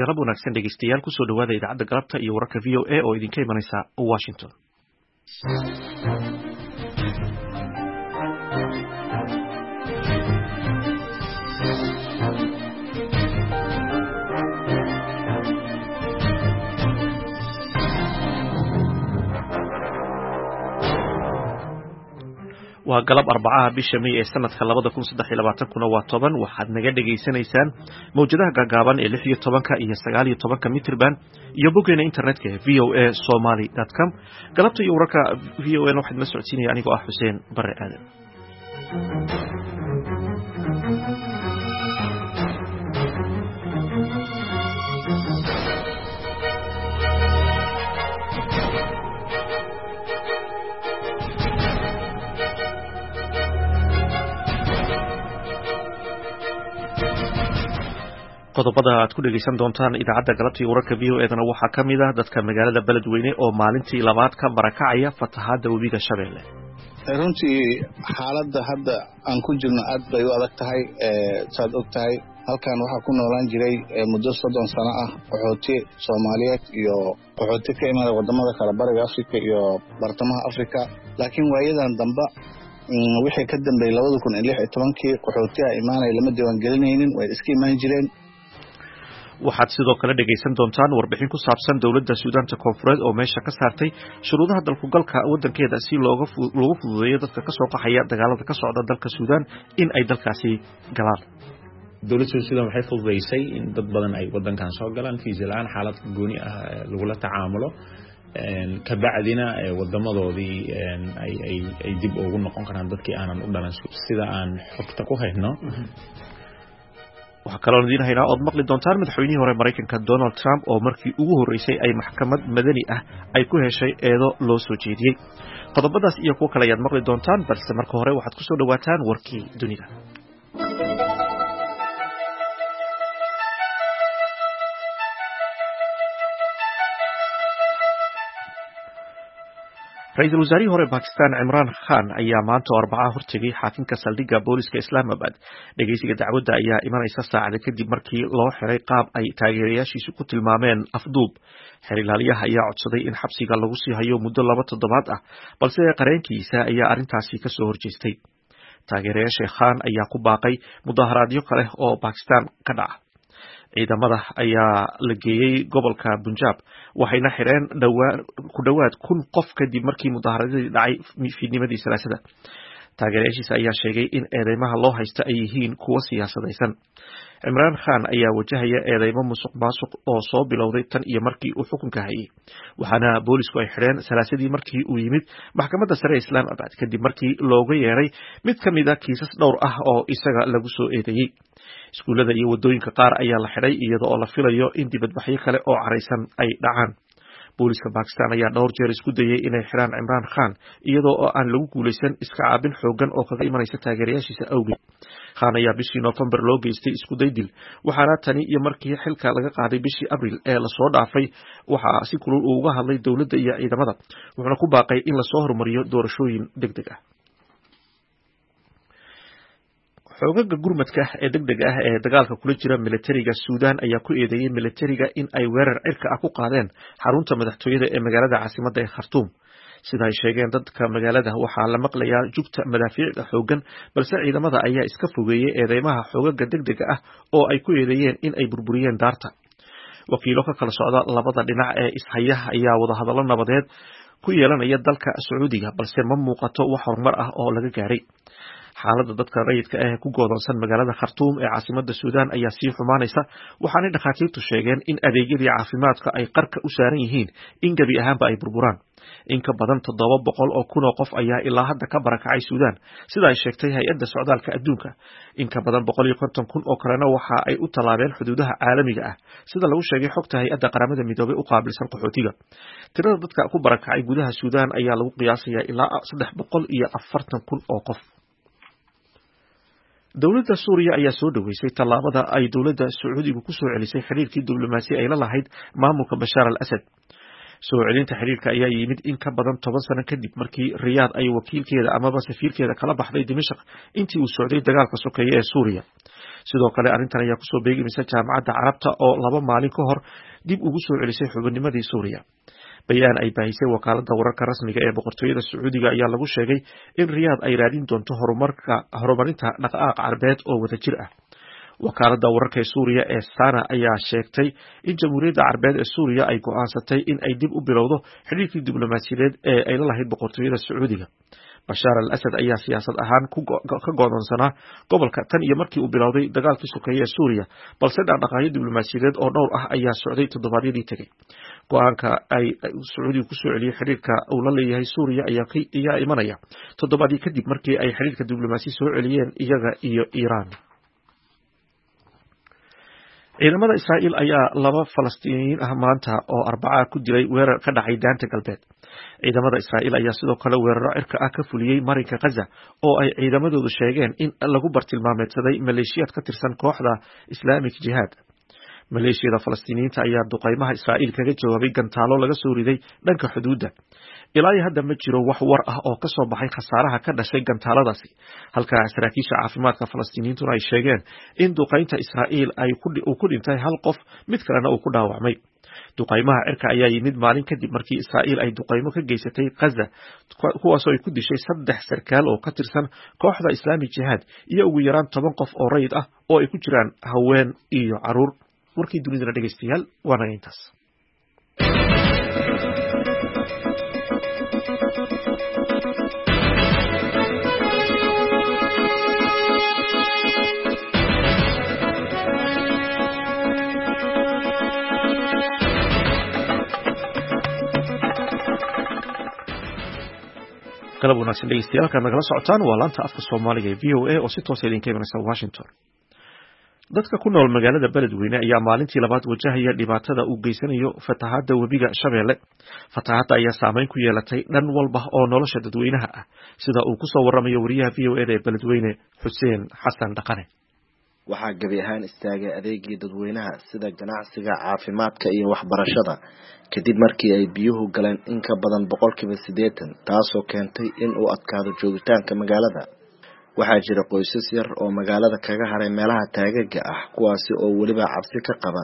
Galab wanaagsan dhegeystayaal, kusoo dhawaada idaacadda galabta iyo wararka VOA oo idinka imanaysa Washington. Waa galab Arbacaha, bisha May ee sanadka 2023-kuna waa 10. Waxaad naga dhegaysanaysaan mawjadaha gaagaaban ee 16-ka iyo 19-ka mitrban iyo boggeena internetka ee voasomali.com. Galabta iyo wararka VOA na waxaad la socodsiinaya anigoo ah Xuseen Bare Aadan. Qodobada aad ku dhegeysan doontaan idaacadda galabta iyo wararka VOA dana waxaa ka mid ah dadka magaalada Beledweyne oo maalintii labaad ka barakacaya fatahaadda webiga Shabeelle. Runtii xaaladda hadda aan ku jirno aad bay u adag tahay. Saad og tahay, halkan waxaa ku noolaan jiray muddo 30 sano ah qaxooti Soomaaliyeed iyo qaxooti ka imaada wadamada kale, Bariga Africa iyo Bartamaha Africa. Laakiin waayadan damba, wixii ka dambeeyey 2016-kii, qaxootiha imaanaya lama diiwaangelinaynin, way iska imaan jireen. Waxaad sidoo kale dhegaysan doontaan warbixin ku saabsan dowladda Suudaanta Koonfureed oo meesha ka saartay shuruudaha dalkugalka waddankeeda si loogu fududeeyo dadka kasoo qaxaya dagaalada ka socda dalka Suudaan in ay dalkaasi galaan. Dowladda Suudan waxay fududeysay in dad badan ay wadankan soo galaan fiisa la-aan, xaalad gooni ah lagula tacaamulo, kabacdina wadamadoodii ay dib ugu noqon karaan dadkii aanan u dhalan, sida aan xogta ku hayno. Waxaa kaloon idiin haynaa ood maqli doontaan madaxweynihii hore Maraykanka Donald Trump oo markii ugu horreysay ay maxkamad madani ah ay ku heshay eedo loo soo jeediyey. Qodobadaas iyo kuwo kale ayaad maqli doontaan, balse marka hore waxaad kusoo dhawaataan warkii dunida. Ra-iisul wasaarihii hore Bakistan Cimraan Khan ayaa maanta oo Arbacaha hortegay xaakinka saldhigga booliska Islamabad. Dhegeysiga dacwadda ayaa imanaysa saacada kadib markii loo xiray qaab ay taageerayaashiisu ku tilmaameen afduub. Xeer ilaaliyaha ayaa codsaday in xabsiga lagu sii hayo muddo 2 toddobaad ah, balse qareenkiisa ayaa arrintaasi kasoo horjeestay. Taageerayaasha Khan ayaa ku baaqay mudaharaadyo kale oo Bakistan ka dhaca. Ciidamada ayaa la geeyey gobolka Bunjab, waxayna xireen ku dhowaad 1000 qof kadib markii mudaaharadadii dhacay fiidnimadii Salaasada. Taageerayaashiisa ayaa sheegay in eedeymaha loo haysta ay yihiin kuwo siyaasadaysan. Cimraan Khan ayaa wajahaya eedeymo musuq maasuq oo soo bilowday tan iyo markii uu xukunka hayay, waxaana boolisku ay xidheen Salaasadii markii uu yimid maxkamadda sare Islamabad kadib markii looga yeeray mid ka mid a kiisas dhowr ah oo isaga lagu soo eedeeyey. Iskuullada iyo waddooyinka qaar ayaa la xidhay, iyada oo la filayo in dibadbaxyo kale oo caraysan ay dhacaan. Booliska Bakistan ayaa dhowr jeer isku dayay inay xidhaan Cimraan Khan, iyadoo oo aan lagu guulaysan iska caabin xoogan oo kaga imanaysa taageerayaashiisa awgeed. Khan ayaa bishii Noofembar loo geystay isku day dil, waxaana tani iyo markii xilka laga qaaday bishii Abril ee lasoo dhaafay waxaa si kulul uu uga hadlay dowladda iyo ciidamada, wuxuuna ku baaqay in lasoo horumariyo doorashooyin deg deg ah. Xoogaga gurmadka ee deg dega ah ee dagaalka kula jira militariga Suudan ayaa ku eedeeyey militariga in ay weerar cirka ah ku qaadeen xarunta madaxtooyada ee magaalada caasimadda ee Khartuum. Sida ay sheegeen dadka magaalada, waxaa la maqlayaa jugta madaafiicda xoogan, balse ciidamada ayaa iska fogeeyey eedeymaha xoogaga deg dega ah oo ay ku eedeeyeen in ay burburiyeen daarta. Wakiilo ka kala socda labada dhinac ee ishaya ayaa wadahadallo nabadeed ku yeelanaya dalka Sacuudiga, balse ma muuqato wax horumar ah oo laga gaaray. Xaaladda dadka rayidka ah ee ku goodoonsan magaalada Khartuum ee caasimada Suudan ayaa sii xumaanaysa, waxaanay dhakhaatiirtu sheegeen in adeegyadii caafimaadka ay qarka u saaran yihiin in gebi ahaanba ay burburaan. In ka badan 700,000 oo qof ayaa ilaa hadda ka barakacay Suudan, sida ay sheegtay Hay-adda Socdaalka Adduunka. In ka badan 150,000 oo kalena waxa ay u tallaabeen xuduudaha caalamiga ah, sida lagu sheegay xogta Hay-adda Qaramada Midoobay u qaabilsan qaxootiga. Tirada dadka ku barakacay gudaha Suudan ayaa lagu qiyaasayaa ilaa 340,000 oo qof. Dowladda Suuriya ayaa soo dhoweysay tallaabada ay dowladda Sacuudigu ku soo celisay xiriirkii diblomaasi ay la lahayd maamulka Bashaar al Asad. Soo celinta xiriirka ayaa yimid in ka badan 10 sano kadib markii Riyaad ay wakiilkeeda amaba safiirkeeda kala baxday Dimashaq intii uu socday dagaalka sokeeye ee Suuriya. Sidoo kale arrintan ayaa kusoo beegmaysa Jaamacadda Carabta oo 2 maalin ka hor dib ugu soo celisay xubinnimadii Suuriya. Bayaan ay baahisay wakaaladda wararka rasmiga ee boqortooyada Sacuudiga ayaa lagu sheegay in Riyaad ay raadin doonto horumarinta dhaqdhaqaaq carbeed oo wadajir ah. Wakaaladda wararka ee Suuriya ee Sana ayaa sheegtay in Jamhuuriyadda Carbeed ee Suuriya ay go'aansatay in ay dib u bilowdo xidhiirkii diblomaasiyadeed ee ay la lahayd boqortooyada Sacuudiga. Bashaar al Asad ayaa siyaasad ahaan ka go'doonsanaa gobolka tan iyo markii uu bilowday dagaalkii sokeeye ee Suuriya, balse dhaqdhaqaaqyo diblomaasiyadeed oo dhowr ah ayaa socday toddobaadyadii tegey. Go'aanka ay Sacuudigu ku soo celiyey xidhiirka uu la leeyahay Suuriya ayaa imanaya toddobaadyo kadib markii ay xidhiirka diblomaasi soo celiyeen iyaga iyo Iiraan. Ciidamada Israa'iil ayaa 2 Falastiiniyiin ah maanta oo Arbaca ku dilay weerar ka dhacay Daanta Galbeed. Ciidamada Israa'iil ayaa sidoo kale weeraro cirka ah ka fuliyey marinka Gaza oo ay ciidamadoodu sheegeen in lagu bartilmaameedsaday maleeshiyaad ka tirsan kooxda Islamic Jihad. Maleeshiyada Falastiiniyiinta ayaa duqeymaha Israa'iil kaga jawaabay gantaalo laga soo riday dhanka xuduudda. Ilaa iyo hadda ma jiro wax war ah oo ka soo baxay khasaaraha ka dhashay gantaaladaasi, halka saraakiisha caafimaadka Falastiiniyiintuna ay sheegeen in duqeynta Israa'iil uu ku dhintay 1 qof, mid kalena uu ku dhaawacmay. Duqeymaha cirka ayaa yimid maalin kadib markii Israa'iil ay duqeymo ka geysatay Gaza, kuwaasoo ay ku dishay 3 sarkaal oo ka tirsan kooxda Islamic Jihad iyo ugu yaraan 10 qof oo rayid ah oo ay ku jiraan haween iyo caruur. Warkii dunidana dhegeystayaal waa naga intaas. Galab wanaagsan dhegeystayaal, halkaad nagala socotaan waa laanta afka Soomaaliga ee VOA oo si toosa idinka imanaysa Washington. Dadka ku nool magaalada Beledweyne ayaa maalintii labaad wajahaya dhibaatada uu geysanayo fatahaadda webiga Shabeelle. Fatahaadda ayaa saameyn ku yeelatay dhan walba oo nolosha dadweynaha ah, sida uu ku soo waramayo wariyaha VOA da ee Beledweyne Xuseen Xasan Dhaqane. Waxaa gebi ahaan istaagay adeegii dadweynaha sida ganacsiga, caafimaadka iyo waxbarashada kadib markii ay biyuhu galeen in ka badan 80%, taasoo keentay in uu adkaado joogitaanka magaalada. Waxaa jira qoysas yar oo magaalada kaga haray meelaha taagaga ah, kuwaasi oo weliba cabsi ka qaba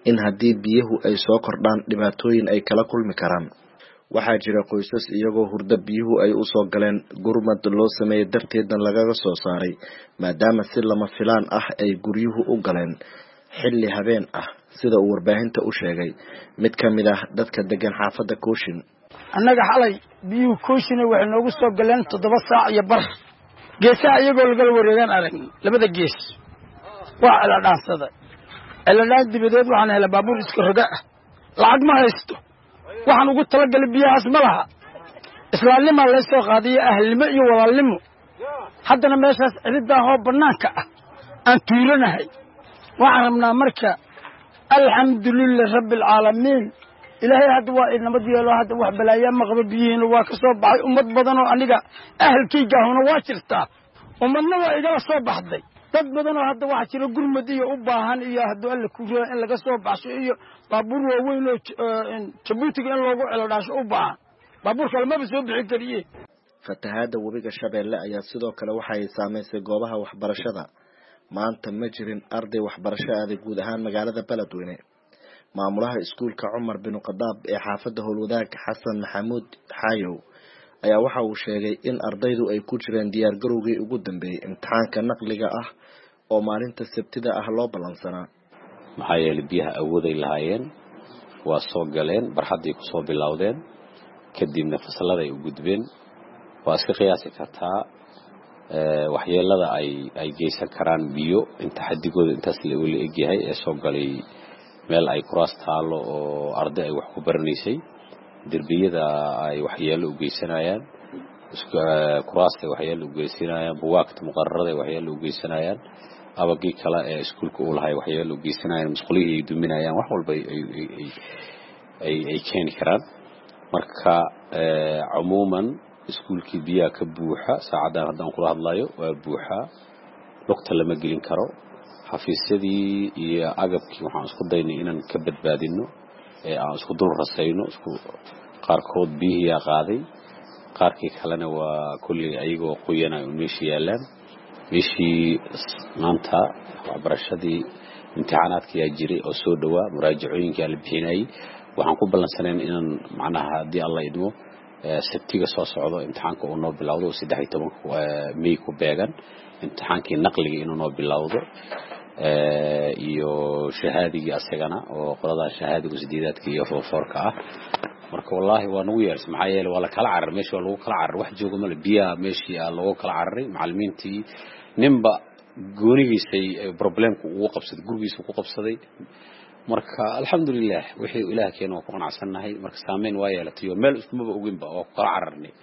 in haddii biyuhu ay soo kordhaan dhibaatooyin ay kala kulmi karaan. Waxaa jira qoysas iyagoo hurdo biyuhu ay usoo galeen gurmad loo sameeyey darteedna lagaga soo saaray, maadaama si lama filaan ah ay guryuhu u galeen xilli habeen ah, sida uu warbaahinta u sheegay mid ka mid ah dadka degan xaafadda Kooshin. Annaga xalay biyuhu Kooshina waxay noogu soo galeen 7 saac iyo bar. Geesaha iyagoo lagala wareegaan aragn labada gees waa celadhaansaday. Celadhaan dibadeed waxaan helay baabuur iska roga ah, lacag ma haysto, waxaan ugu talagalay biyahaas ma laha. Islaamnimaa lay soo qaadiyo ahlnimo iyo walaalnimo. Haddana meeshaas cididaahoo bannaanka ah aan tuulanahay. Waxaan rabnaa marka alxamdulilah rabbialcaalamiin, ilaahay hadda waa inamad yeelo, hadda wax balaayaa ma qabo, biyihiina waa ka soo baxay. Ummad badanoo aniga ahalkaygaahuna waa jirtaa, ummadna waa igala soo baxday. Dad badanoo hadda waxaa jira gurmad iyo u baahan iyo hadduu Alle ku raa in laga soo baxsho iyo baabuur waaweyn oo Jabuutiga in loogu celodhaasho u baahan, baabuur kale maba soo bixin kariye. Fatahaadda webiga Shabeelle ayaa sidoo kale waxa ay saameysay goobaha waxbarashada. Maanta ma jirin arday waxbarasho aaday guud ahaan magaalada Beledweyne. Maamulaha iskuulka Cumar bin Khadaab ee xaafadda Howlwadaag Xasan Maxamuud Xaayow ayaa waxa uu sheegay in ardaydu ay ku jireen diyaar garowgii ugu dambeeyey imtixaanka naqliga ah oo maalinta Sabtida ah loo ballansanaa. Maxaa yeelay biyaha awooday lahaayeen, waa soo galeen, barxadday ku soo bilowdeen, kadibna fasalladay u gudbeen. Waa iska qiyaasi kartaa waxyeelada ay geysan karaan biyo inta xadigooda intaas la egyahay ee soo galay meel ay kuraas taalo oo arday ay wax ku baranaysay, derbiyada ay waxyeelo u geysanayaan, kuraasta ay waxyeelo u geysanayaan, buwaagta muqararada ay waxyeelo u geysanayaan, abagii kale ee iskuulka uu lahay waxyeelo u geysanayaan, musqulihii ay duminayaan, wax walba ay keeni karaan. Marka cumuuman iskuulkii biyaha ka buuxa saacaddan haddaan kula hadlayo waa buuxaa, lugta lama gelin karo. Xafiisyadii iyo agabkii waxaan isku daynay inaan ka badbaadino ee aan isku dul rasayno, isku qaarkood biyihiyaa qaaday, qaarkii kalena waa kulley ayagoo qoyanay un meesha yaallaan. Bishii maanta waxbarashadii imtixaanaadka yaa jiray oo soo dhowaa, muraajacooyinkaa la bixinayay. Waxaan ku ballansanayn inaan macnaha haddii Alla idmo Sabtiga soo socdo imtixaanka uu noo bilowdo, 13 May ku beegan, imtixaankii naqliga inuu noo bilowdo iyo shahaadigii asagana oo qoladaha shahaadigu sideedaadka iyo foorka ah. Marka wallaahi waa nagu yeersay, maxaa yeelay waa la kala cararay meeshii, waa lagu kala cararay, wax jooga male, biyaha meeshii aa loogu kala cararay. Macallimiintii ninba goonigiisay problemku ugu qabsaday, gurigiisa ku qabsaday. Marka alxamdulilah wixii Ilaah keena waa ku qanacsannahay. Marka saameyn waa yeelatay oo meel iskumaba oginba, waa ku kala cararnay.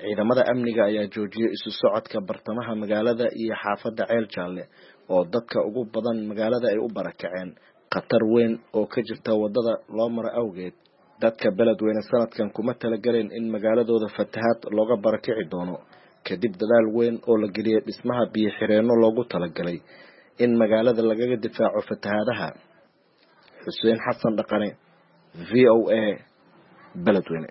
Ciidamada amniga ayaa joojiyay isu socodka bartamaha magaalada iyo xaafadda Ceel Jaalle oo dadka ugu badan magaalada ay u barakaceen khatar weyn oo ka jirta waddada loo maro awgeed. Dadka Beledweyne sanadkan kuma talagaleen in magaaladooda fatahaad looga barakici doono, kadib dadaal weyn oo la geliyay dhismaha biyo xireenno loogu talagalay in magaalada lagaga difaaco fatahaadaha. Xuseen Xasan Dhaqane, VOA, Beledweyne.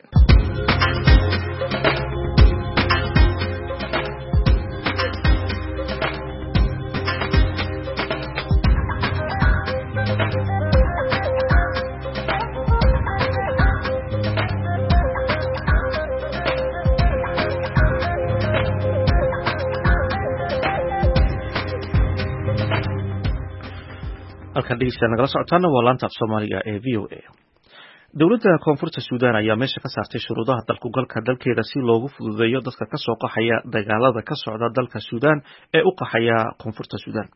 Halkan dhegeystayaal nagala socotaana waa laanta af Soomaaliga ee VOA. Dowladda Koonfurta Suudaan ayaa meesha ka saartay shuruudaha dalkugalka dalkeeda si loogu fududeeyo dadka kasoo qaxaya dagaalada ka socda dalka Suudaan ee u qaxaya Koonfurta Suudaan.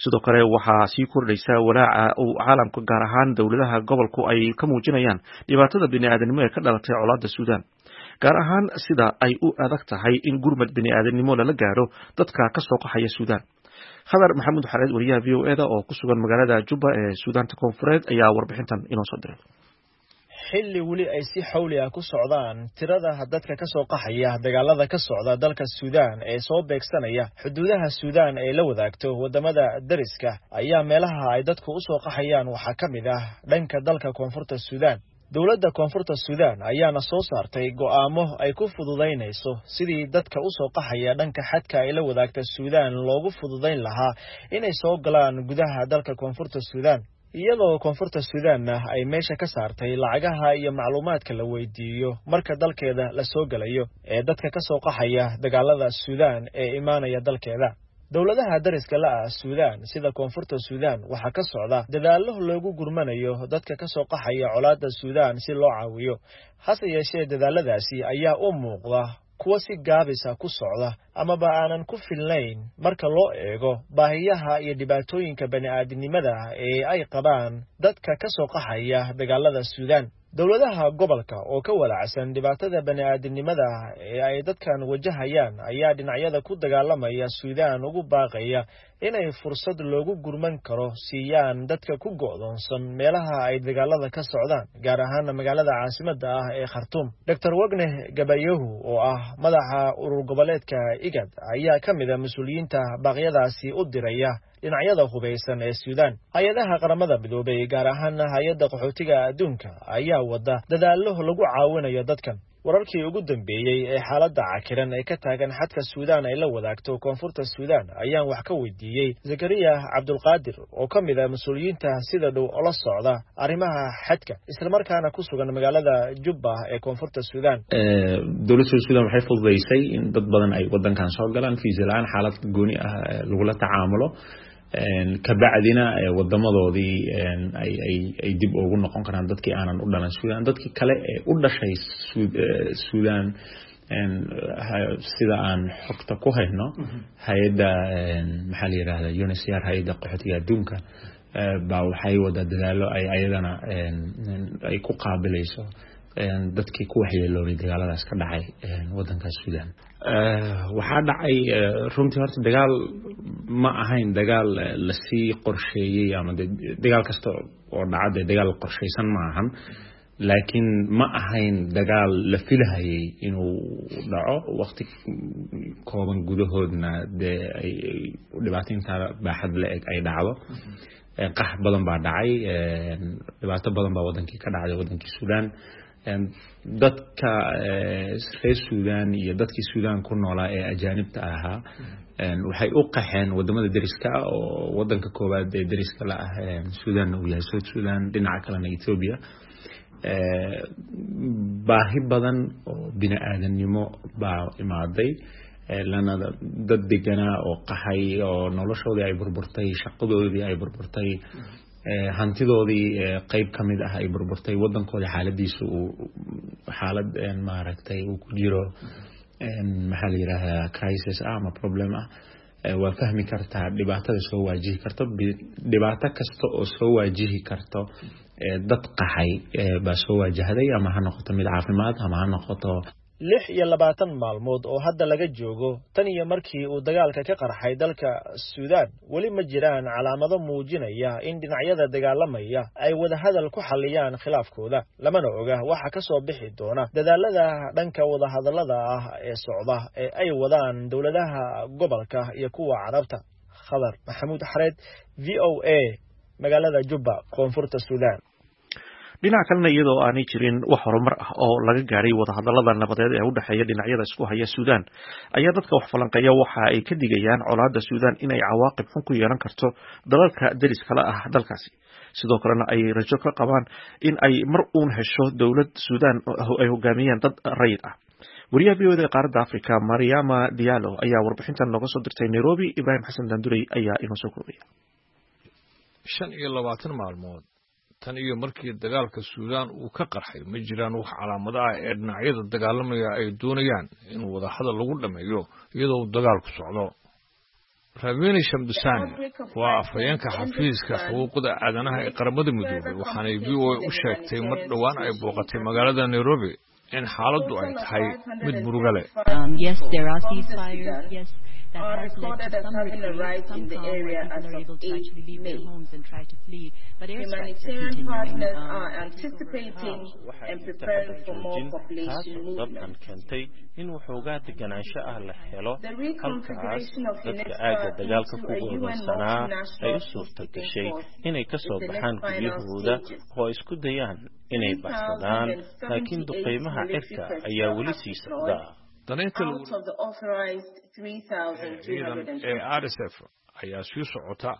Sidoo kale waxaa sii kordhaysa walaaca uu caalamka, gaar ahaan dowladaha gobolku, ay ka muujinayaan dhibaatada bini'aadanimo ee ka dhalatay colaadda Suudaan, gaar ahaan sida ay u adag tahay in gurmad bini'aadanimo lala gaaro dadka kasoo qaxaya Suudaan. Khadar Maxamuud Xareed, wariyaha VOA da oo ku sugan magaalada Juba ee Suudaanta Koonfureed, ayaa warbixintan inoo soo diray. Xilli weli ay si xawli ah ku socdaan tirada dadka ka soo qaxaya dagaalada ka socda dalka Suudaan ee soo beegsanaya xuduudaha Suudaan ee la wadaagto wadamada dariska, ayaa meelaha ay dadku u soo qaxayaan waxaa ka mid ah dhanka dalka Koonfurta Suudaan. Dowladda Koonfurta Suudaan ayaana soo saartay go'aamo ay ku fududaynayso sidii dadka u soo qaxaya dhanka xadka ay la wadaagta Suudaan loogu fududayn lahaa inay soo galaan gudaha dalka Koonfurta Suudaan, iyadoo Koonfurta Suudaanna ay meesha ka saartay lacagaha iyo macluumaadka la weydiiyo marka dalkeeda la soo gelayo ee dadka ka soo qaxaya dagaalada Suudaan ee imaanaya dalkeeda. Dowladaha dariska la ah Suudaan sida Koonfurta Suudaan waxaa ka socda dadaallo loogu gurmanayo dadka ka soo qaxaya colaadda Suudaan si loo caawiyo. Hase yeeshee dadaaladaasi ayaa u muuqda kuwa si gaabisa ku socda amaba aanan ku filnayn marka loo eego baahiyaha iyo dhibaatooyinka bani'aadinimada ee ay qabaan dadka ka soo qaxaya dagaalada Suudaan. Dowladaha gobolka oo ka walacsan dhibaatada bani'aadinimada ee ay dadkan wajahayaan ayaa dhinacyada ku dagaalamaya Suudaan ugu baaqaya inay fursad loogu gurman karo siiyaan dadka ku go'doonsan meelaha ay dagaalada ka socdaan, gaar ahaana magaalada caasimadda ah ee Khartuum. Dr Wagne Gabayahu oo ah madaxa urur goboleedka IGAD ayaa ka mid a mas-uuliyiinta baaqyadaasi u diraya dhinacyada hubaysan ee Suudaan. Hay-adaha Qaramada Midoobay, gaar ahaana Hay-adda Qaxootiga Adduunka, ayaa wada dadaallo lagu caawinayo dadkan. Wararkii ugu dambeeyey ee xaaladda cakiran ee ka taagan xadka Suudaan ay la wadaagto Koonfurta Suudaan ayaan wax ka weydiiyey Zakariya Cabdulqaadir oo ka mid ah mas-uuliyiinta sida dhow ola socda arrimaha xadka, islamarkaana ku sugan magaalada Jubba ee Koonfurta Suudaan. Dowladda Suudaan waxay fududeysay in dad badan ay wadankan soo galaan fiisa la-aan, xaalad gooni ah lagula tacaamulo, kabacdina wadamadoodii ay dib ugu noqon karaan dadkii aanan u dhalan Suudaan. Dadkii kale ee u dhashay Suudaan, sida aan xogta ku hayno, hay-adda maxaa la yirahda UNHCR, hay-adda qaxootiga adduunka, baa waxay wada dadaalo ay ayadana ay ku qaabilayso dadkii ku waxyeeloobay dagaaladaas ka dhacay wadanka Suudaan. Waxaa dhacay runtii horta dagaal ma ahayn dagaal lasii qorsheeyey, ama dagaal kasta oo dhaca dee dagaal qorsheysan ma ahan, laakiin ma ahayn dagaal la filahayay inuu dhaco waqti kooban gudahoodna dee ay dhibaato baaxad la eg ay dhacdo. Qax badan baa dhacay, dhibaato badan baa wadankii ka dhacday, wadankii Suudaan. Dadka reer Suudaan iyo dadkii Suudaan ku noolaa ee ajaanibta ahaa Waxay u qaxeen wadamada deriska ah, oo wadanka koowaad ee deriska la ah Suudan uu yahay South Sudan, dhinaca kalena Ethiopia. Baahi badan oo bini aadamnimo baa imaaday, lana dad deganaa oo qaxay oo noloshoodii ay burburtay, shaqadoodii ay burburtay, hantidoodii qeyb ka mid ah ay burburtay, wadankoodii xaaladiisu uu xaalad maaragtay uu ku jiro, maxaa la yidhaahdaa, crisis ah ama problem ah. Waa fahmi kartaa dhibaatada soo waajihi karto. Dhibaato kasta oo soo waajihi karto dad qaxay baa soo waajahday, ama ha noqoto mid caafimaad ama ha noqoto 26 maalmood oo hadda laga joogo tan iyo markii uu dagaalka ka qarxay dalka Suudaan, weli ma jiraan calaamado muujinaya in dhinacyada dagaalamaya ay wadahadal ku xalliyaan khilaafkooda, lamana oga waxa ka soo bixi doona dadaalada dhanka wadahadallada ah ee socda ee ay wadaan dowladaha gobolka iyo kuwa Carabta. Khadar Maxamuud Xareed, VOA, magaalada Jubba, Koonfurta Suudaan. Dhinaca kalena, iyadoo aanay jirin wax horumar ah oo laga gaadhay wadahadalada nabadeed ee u dhexeeya dhinacyada isku haya Suudaan, ayaa dadka wax falanqeeya waxa ay ka digayaan colaadda Suudaan inay cawaaqib xun ku yeelan karto dalalka deriskala ah dalkaasi, sidoo kalena ay rajo ka qabaan in ay mar uun hesho dowlad Suudaan ay hogaamiyaan dad rayid ah. Wariyaha VOA da ee qaaradda Africa, Mariama Diallo, ayaa warbixintan nooga soo dirtay Nairobi. Ibrahim Xasan Dandurey ayaa inoo soo koobaya. 25 maalmood tan iyo markii dagaalka Suudaan uu ka qarxay, ma jiraan wax calaamado ah ee dhinacyada dagaalamaya ay doonayaan in wadahadal lagu dhammeeyo iyadoo uu dagaalku socdo. Ravina Shamdasani waa afhayeenka xafiiska xuquuqda aadanaha ee Qaramada Midoobay, waxaanay VOA u sheegtay mar dhowaan ay booqatay magaalada Nairobi in xaaladdu ay tahay mid muruga leh. Yes, there are ceasefires. Yes, that has led to some reprieve, some calm, where people are able to actually leave their homes and try to flee. But airstrikes are continuing. Are anticipating and preparing for more population dabcan keentay in waxoogaa deganaansho ah la helo, halkaas dadka aagga dagaalka ku go'doonsanaa ay u suurta gashay inay ka soo baxaan guryahooda oo ay isku dayaan inay baxsadaan, laakiin duqeymaha cirka ayaa weli sii socda. Danaynta ciidan ee RSF ayaa sii socota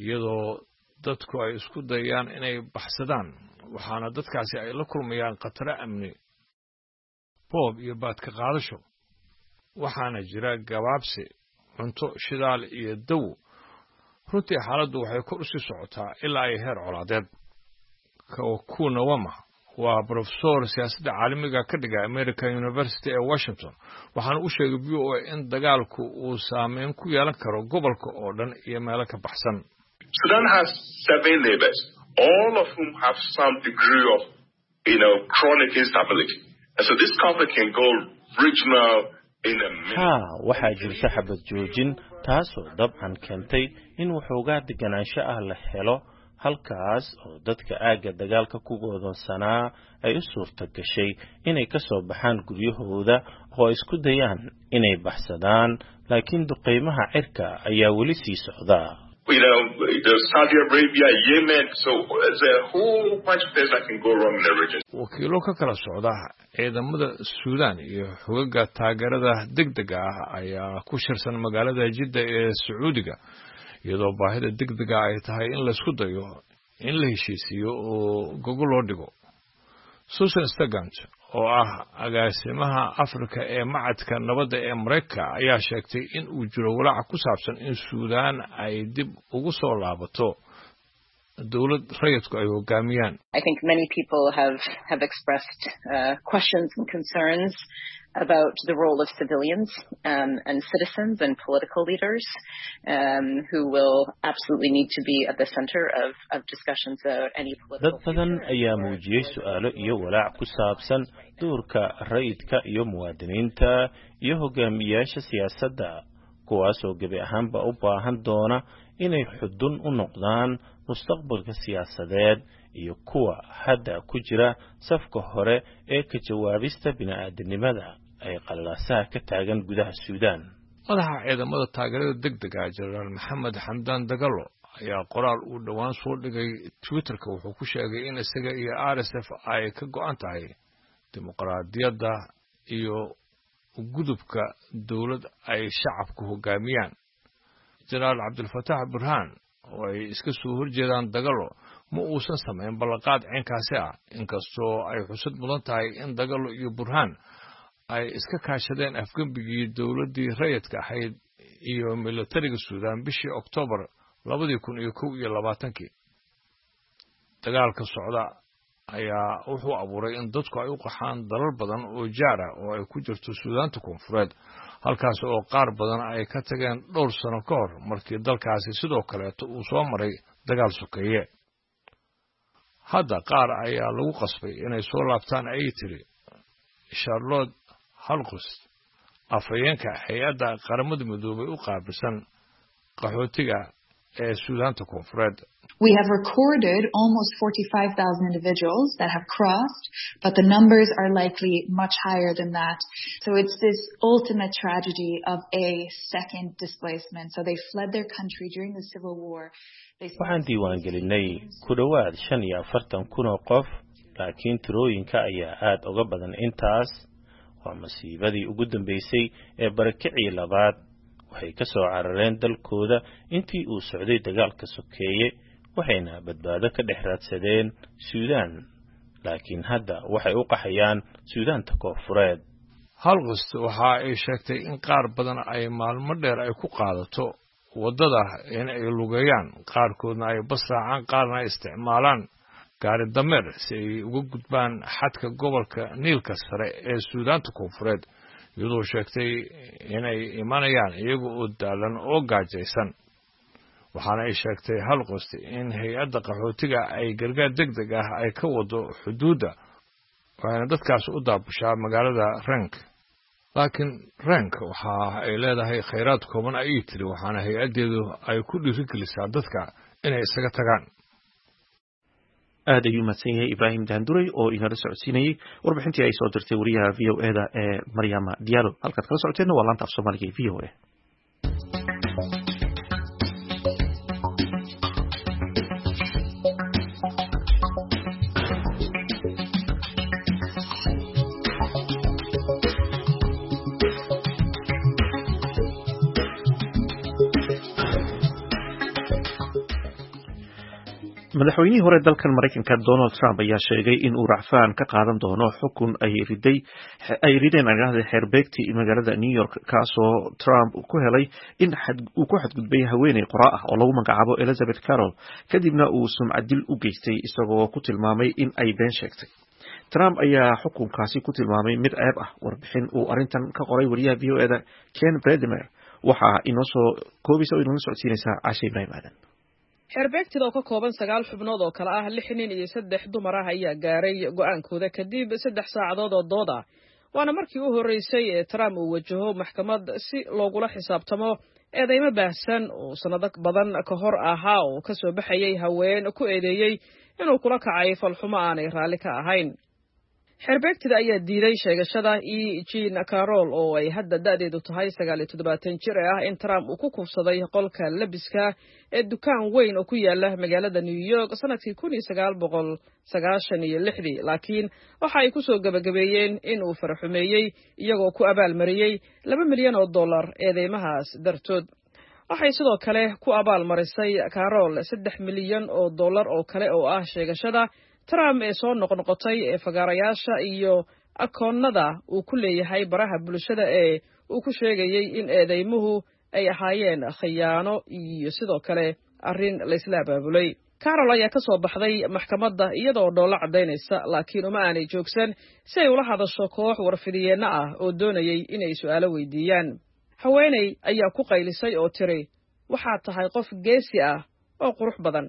iyadoo dadku ay isku dayaan inay baxsadaan, waxaana dadkaasi ay la kulmayaan khataro amni, boob iyo baadka qaadasho, waxaana jira gabaabsi cunto, shidaal iyo dawo. Runtii xaaladdu waxay kor usii socotaa ilaa ay heer colaadeed. Kuna wama waa brofesor siyaasadda caalamiga ka dhiga American University ee Washington, waxaana u sheegay VOA in dagaalku uu saameyn ku yeelan karo gobolka oo dhan iyo meelo ka baxsan. Sudan has seven neighbors, all of whom have some degree of chronic instability. And so this conflict can go regional in a minute. Haa, waxaa jirta xabad joojin, taasoo dabcan keentay in waxoogaa deganaansho ah la helo, halkaas oo dadka aagga dagaalka ku go'doonsanaa ay u suurta gashay inay ka soo baxaan guryahooda oo ay isku dayaan inay baxsadaan, laakiin duqeymaha cirka ayaa weli sii socda. The Saudi Arabia, Yemen, so there's a whole bunch of things that can go wrong in the region. Wakiilo ka kala socda ciidamada Suudaan iyo xogaga taageerada degdega ah ayaa ku shirsan magaalada Jidda ee Sacuudiga, iyadoo baahida degdega ay tahay in laysku dayo in la heshiisiiyo oo gogo loo dhigo. Susan Stegant oo ah agaasimaha Afrika ee Macadka Nabadda ee Maraykanka ayaa sheegtay in uu jiro walaaca ku saabsan in Suudaan ay dib ugu soo laabato dowlad rayidku ay hogaamiyaan. I think many people have expressed questions and concerns about the role of civilians and citizens and political leaders who will absolutely need to be at the center of discussions about any political Dad badan ayaa muujiyey su'aalo iyo walaac ku saabsan doorka rayidka iyo muwaadiniinta iyo hogaamiyaasha siyaasadda, kuwaasoo gebi ahaanba u baahan doona inay xudun u noqdaan mustaqbalka siyaasadeed iyo kuwa hadda ku jira safka hore ee ka jawaabista bini'aadanimada ay qalaasaha ka taagan gudaha Suudaan. Madaxa ciidamada taageerada degdega, Jenaraal Maxamed Xamdaan Dagalo, ayaa qoraal uu dhowaan soo dhigay Twitterka wuxuu ku sheegay in isaga iyo RSF ay ka go'an tahay dimuqraadiyadda iyo gudubka dowlad ay shacabku hoggaamiyaan. Jenaraal Cabdilfataax Burhaan oo ay iska soo horjeedaan Dagalo ma uusan samayn ballanqaad ceenkaasi ah, inkastoo ay xusad mudan tahay in Dagalo iyo Burhaan ay iska kaashadeen afgembigii dowladdii rayidka ahayd iyo militariga Suudaan bishii Oktoobar 2021. Dagaalka socda ayaa wuxuu abuuray in dadku ay u qaxaan dalal badan oo jaar ah oo ay ku jirto Suudaanta Koonfureed, halkaas oo qaar badan ay ka tageen dhowr sano ka hor markii dalkaasi sidoo kaleeto uu soo maray dagaal sokeeye. Hadda qaar ayaa lagu qasbay inay soo laabtaan, ayay tiri Charlotte Halqust, afhayeenka hay-adda Qaramada Midoobay u qaabilsan qaxootiga ee Suudaanta Koonfureed. We have recorded almost 45,000 individuals that have crossed, but the numbers are likely much higher than that. So it's this ultimate tragedy of a second displacement. So they fled their country during the civil war. Waxaan diiwaangelinay ku dhowaad 45,000 oo qof, laakiin tirooyinka ayaa aad uga badan intaas. Waa masiibadii ugu dambeysay ee barakicii labaad. Waxay ka soo carareen dalkooda intii uu socday dagaalka sokeeye, waxayna badbaado ka dhex raadsadeen Suudaan, laakiin hadda waxay u qaxayaan Suudaanta Koonfureed. Halqust waxa ay sheegtay in qaar badan ay maalmo dheer ay ku qaadato waddada in ay lugeeyaan, qaarkoodna ay bas raacaan, qaarna ay isticmaalaan gaari dameer si ay uga gudbaan xadka gobolka Niilka Sare ee Suudaanta Koonfureed, iyadoo sheegtay inay imanayaan iyaga oo daalan oo gaajaysan. Waxaana ay sheegtay Halqost in hay-adda qaxootiga ay gargaar deg deg ah ay ka wado xuduudda, waxayna dadkaas u daabushaa magaalada Rank. Laakiin Rank waxa ay leedahay khayraad kooban, ayay tiri, waxaana hay-addeedu ay ku dhiirigelisaa dadka inay isaga tagaan. Aad ayuu mahadsan yahay Ibraahim Daanduray oo inala socodsiinayey warbixintii ay soo dirtay wariyaha V O E da ee Maryama Diallo. Halkaad kala socoteenna waa laanta af Soomaaliga ee V O A. Madaxweynihii hore dalkan Maraykanka Donald Trump ayaa sheegay in uu racfaan ka qaadan doono xukun ay rideen xeerbeegtii magaalada New York, kaasoo Trump ku helay in uu ku xadgudbay haweeney qoraa ah oo lagu magacaabo Elizabeth Carroll, kadibna uu sumcadil u geystay isagoo ku tilmaamay in ay been sheegtay. Trump ayaa xukunkaasi ku tilmaamay mid ceeb ah. Warbixin uu arrintan ka qoray wariyaha V O E da Ken Bredemer waxaa inoo soo koobaysa oo inoola socodsiinaysaa Cashe Ibraahim Aadan. Xeerbeegtida oo ka kooban 9 xubnood oo kale ah 6 nin iyo 3 dumar ah ayaa gaaray go'aankooda kadib 3 saacadood oo dood ah, waana markii u horreysay ee Trump uu wajaho maxkamad si loogula xisaabtamo eedeymo baahsan oo sannado badan ka hor ahaa oo ka soo baxayay haween ku eedeeyey inuu kula kacay falxumo aanay raalli ka ahayn. Xeerbeegtida ayaa diiday sheegashada E Jean Carroll oo ay hadda da'deedu tahay 79 jir ee ah in Trump uu ku kufsaday qolka labiska ee dukaan weyn oo ku yaala magaalada New York sanadkii 1996, laakiin waxa ay ku soo gabagabeeyeen in uu faraxumeeyey iyagoo ku abaalmariyey $2 milyan eedeymahaas dartood. Waxay sidoo kale ku abaalmarisay Carroll $3 milyan oo kale oo ah sheegashada Trump ee soo noqnoqotay ee fagaarayaasha iyo akoonnada uu ku leeyahay baraha bulshada ee uu ku sheegayey in eedeymuhu ay ahaayeen khiyaano iyo sidoo kale arrin laysla abaabulay. Carroll ayaa ka soo baxday maxkamadda iyadoo dhoolo caddaynaysa, laakiin uma aanay joogsan si ay ula hadasho koox warfidiyeenno ah oo doonayay inay su'aalo weydiiyaan. Haweeney ayaa ku qaylisay oo tiri, "Waxaad tahay qof geesi ah oo qurux badan."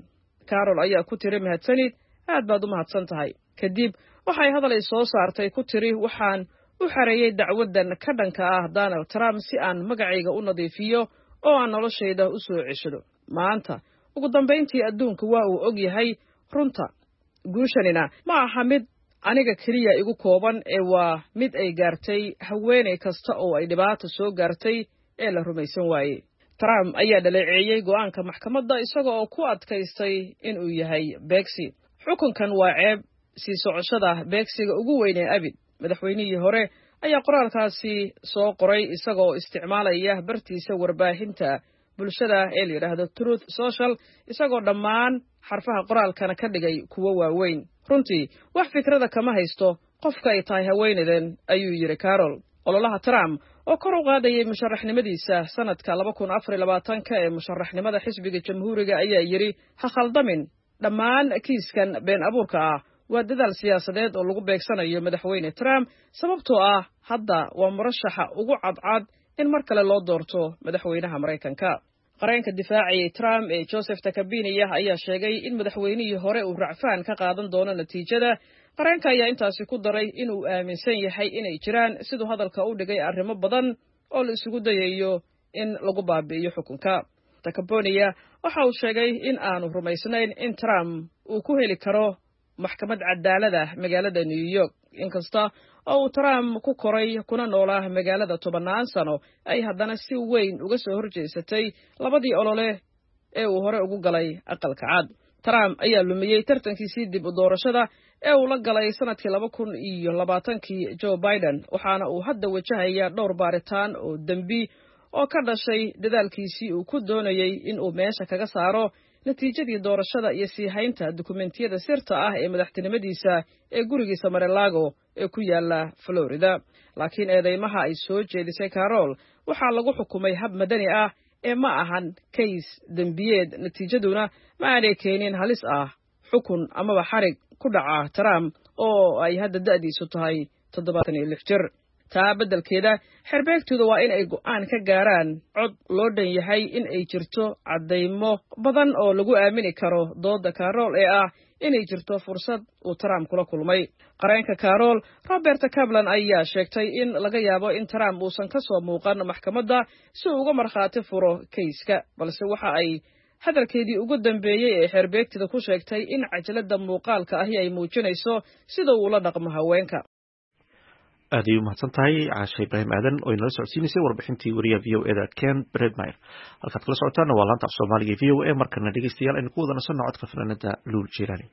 Carroll ayaa ku tiri, "Mahadsanid, aad baad u mahadsan tahay." Kadib waxay hadal ay soo saartay ku tiri, "Waxaan u xareeyey dacwaddan ka dhanka ah Donald Trump si aan magacayga u nadiifiyo oo aan noloshayda u soo ceshado. Maanta ugu dambayntii adduunku waa uu og yahay runta. Guushanina ma aha mid aniga keliya igu kooban ee waa mid ay gaartay haweeney kasta oo ay dhibaato soo gaartay ee la rumaysan waayey." Trump ayaa dhaleeceeyey go'aanka maxkamadda isaga oo ku adkaystay in uu yahay beegsi. Xukunkan waa ceeb sii socoshada beegsiga ugu weyn ee abid. Madaxweynihii hore ayaa qoraalkaasi soo qoray isagoo isticmaalaya bartiisa warbaahinta bulshada ee la yidhaahdo Truth Social, isagoo dhammaan xarfaha qoraalkana ka dhigay kuwo waaweyn. Runtii wax fikrada kama haysto qofka ay tahay haweenadan, ayuu yidhi Carol. Ololaha Trump oo kor u qaadayay musharaxnimadiisa sanadka 2024-ka ee musharaxnimada xisbiga Jamhuuriga ayaa yidhi: ha khaldamin, dhammaan kiiskan been abuurka ah waa dadaal siyaasadeed oo lagu beegsanayo madaxweyne Trump, sababtoo ah hadda waa murashaxa ugu cadcad in mar kale loo doorto madaxweynaha Maraykanka. Qareenka difaacayay Trump ee Joseph Takabiniyah ayaa sheegay in madaxweynihii hore uu racfaan ka qaadan doono natiijada. Qareenka ayaa intaasi ku daray inuu aaminsan yahay inay jiraan, siduu hadalka u dhigay, arrimo badan oo la isugu dayayo in lagu baabi'iyo xukunka. Takabonia waxa uu sheegay in aanu rumaysnayn in Trump uu ku heli karo maxkamad cadaalada magaalada New York. Inkasta oo uu Trump ku koray kuna noolaa magaalada tobannaan sano, ay haddana si weyn uga soo horjeesatay labadii olole ee uu hore ugu galay Aqalka Cad. Trump ayaa lumiyey tartankiisii dib u doorashada ee uu la galay sanadkii 2020-kii Joe Biden, waxaana uu hadda wajahayaa dhowr baaritaan oo dembi oo ka dhashay dadaalkiisii uu ku doonayey in uu meesha kaga saaro natiijadii doorashada iyo sii haynta dukumentiyada sirta ah ee madaxtinimadiisa ee gurigiisa Marelago ee ku yaala Florida. Laakiin eedeymaha ay soo jeedisay Carol waxaa lagu xukumay hab madani ah ee ma ahan kays dembiyeed, natiijaduna ma aanay keenin halis ah xukun amaba xarig ku dhaca Trump oo ay hadda da'diisu tahay 76 jir. Taa beddelkeeda, xerbeegtooda waa in ay go'aan ka gaaraan cod loo dhan yahay in ay jirto caddaymo badan oo lagu aamini karo dooda Carol ee ah inay jirto fursad uu Trump kula kulmay. Qareenka Carol, Robert Kaplan, ayaa sheegtay in laga yaabo in Trump uusan ka soo muuqan maxkamadda si uu uga markhaati furo kayska, balse waxa ay hadalkeedii ugu dambeeyey ee xeerbeegtida ku sheegtay in cajaladda muuqaalka ahi ay muujinayso sida uu ula dhaqmo haweenka. Aad ayay umahadsan tahay Caashe Ibraahim Aadan oo inala socodsiinaysay warbixintii wariyaha VOA da Ken Bredmeyer. Halkaad kala socotaana waa laanta af Soomaaliga VOA. Markana dhegeystayaal, aynu ku wada nasanno codka fanaanada Luul Jilaani.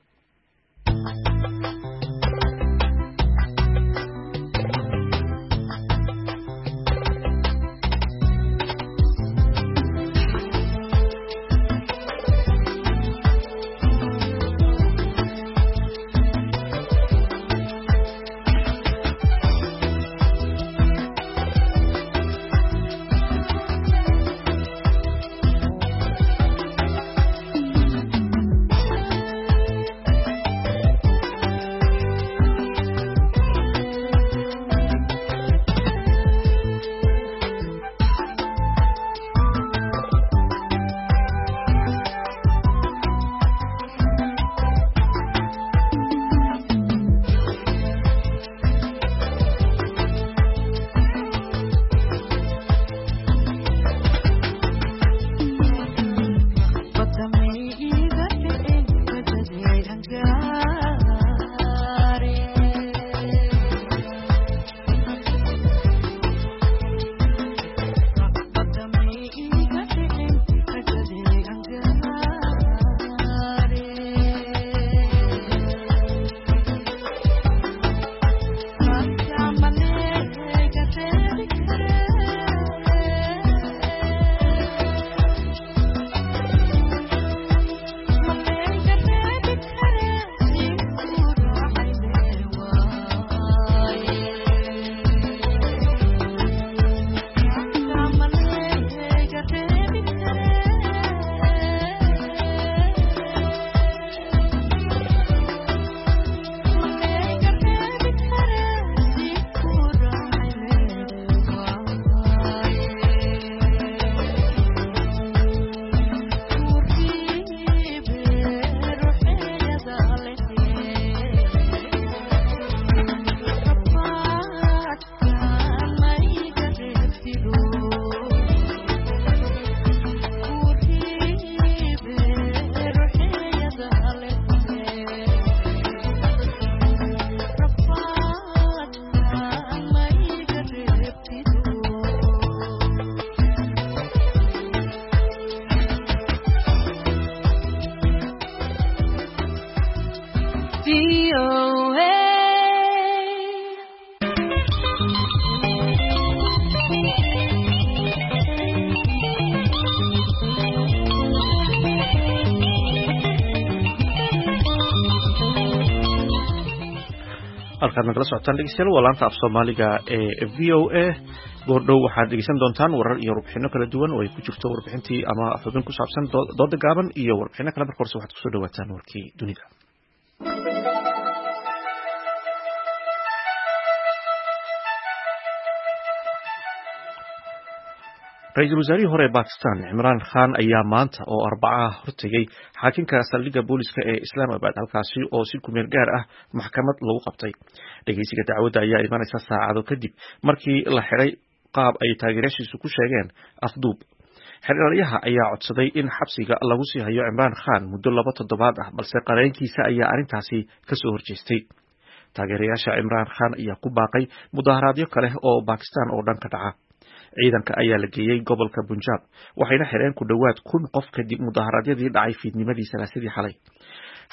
VOA. Halkaad nagala socotaan dhegeystayaal waa laanta af Soomaaliga ee VOA. Goordhow waxaad dhegeysan doontaan warar iyo warbixino kala duwan oo ay ku jirto warbixintii ama xubin ku saabsan dooda gaaban iyo warbixino kale. Marka horse waxaad kusoo dhawaataan warkii dunida. Ra-iisul wasaarihii hore ee Bakistan Cimraan Khan ayaa maanta oo Arbacaha hortegay xaakinka saldhigga booliska ee Islamabad, halkaasi oo si kumeel gaar ah maxkamad lagu qabtay. Dhegeysiga dacwadda ayaa imanaysa saacado kadib markii la xiray qaab ay taageerayaashiisu ku sheegeen afduub. Xeralyaha ayaa codsaday in xabsiga lagu sii hayo Cimraan Khan muddo 2 toddobaad ah, balse qareenkiisa ayaa arrintaasi kasoo horjeestay. Taageerayaasha Cimraan Khan ayaa ku baaqay mudaharaadyo kale oo Bakistan oo dhan ka dhaca. Ciidanka ayaa la geeyey gobolka Punjab, waxayna xireen ku dhowaad 1000 qof kadib mudaharaadyadii dhacay fiidnimadii Salaasadii xalay.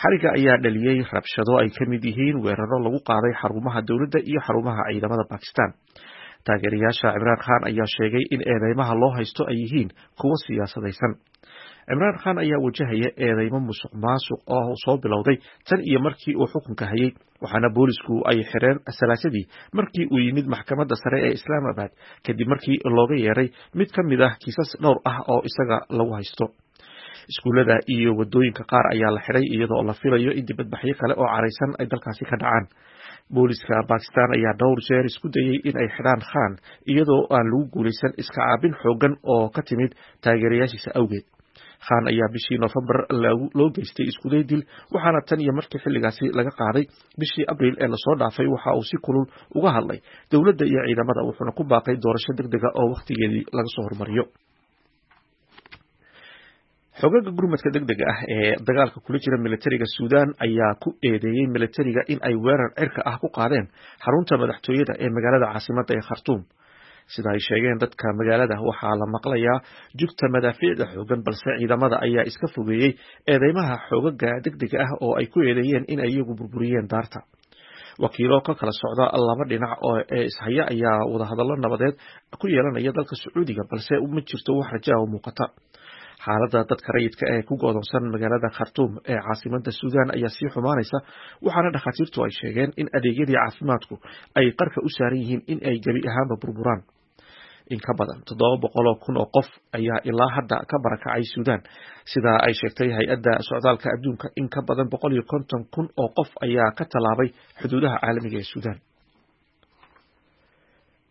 Xariga ayaa dhaliyey rabshado ay ka mid yihiin weeraro lagu qaaday xarumaha dowladda iyo xarumaha ciidamada Bakistan. Taageerayaasha Cimraan Khan ayaa sheegay in eedeymaha loo haysto ay yihiin kuwo siyaasadaysan. Cimraan Khan ayaa wajahaya eedeymo musuq maasuq oo soo bilowday tan iyo markii uu xukunka hayay, waxaana boolisku ay xireen Salaasadii markii uu yimid maxkamadda sare ee Islamabad kadib markii looga yeeray mid ka mid ah kiisas dhowr ah oo isaga lagu haysto. Iskuullada iyo wadooyinka qaar ayaa la xiray iyadoo la filayo in dibadbaxyo kale oo caraysan ay dalkaasi ka dhacaan. Booliska Bakistan ayaa dhowr jeer isku dayay in ay xidhaan Khan, iyadoo aan lagu guulaysan iska caabin xooggan oo ka timid taageerayaashiisa awgeed. Khan ayaa bishii Noofembar loo geystay iskuday dil, waxaana tan iyo markii xilligaasi laga qaaday bishii Abriil ee lasoo dhaafay waxa uu si kulul uga hadlay dowladda iyo ciidamada, wuxuuna ku baaqay doorasho degdega oo wakhtigeedii laga soo hormariyo. Xogaga gurmadka degdega ah ee dagaalka kula jira militariga Suudaan ayaa ku eedeeyey militariga in ay weerar cirka ah ku qaadeen xarunta madaxtooyada ee magaalada caasimadda ee Khartuum. Sida ay sheegeen dadka magaalada, waxaa la maqlayaa jugta madaafiicda xoogan, balse ciidamada ayaa iska fogeeyey eedeymaha xoogaga degdega ah oo ay ku eedeeyeen in ay iyagu burburiyeen daarta. Wakiilo ka kala socda laba dhinac oo ee ishaya ayaa wadahadallo nabadeed ku yeelanaya dalka Sacuudiga, balse ma jirto wax raja oo muuqata. Xaaladda dadka rayidka ee ku go'doonsan magaalada Khartuum ee caasimadda Suudaan ayaa sii xumaanaysa, waxaana dhakhaatiirtu ay sheegeen in adeegyadii caafimaadku ay qarka u saaran yihiin in ay gebi ahaanba burburaan. In ka badan 700,000 oo qof ayaa ilaa hadda ka barakacay Suudaan, sida ay sheegtay hay-adda socdaalka adduunka. In ka badan 150,000 oo qof ayaa ka tallaabay xuduudaha caalamiga ee Suudaan.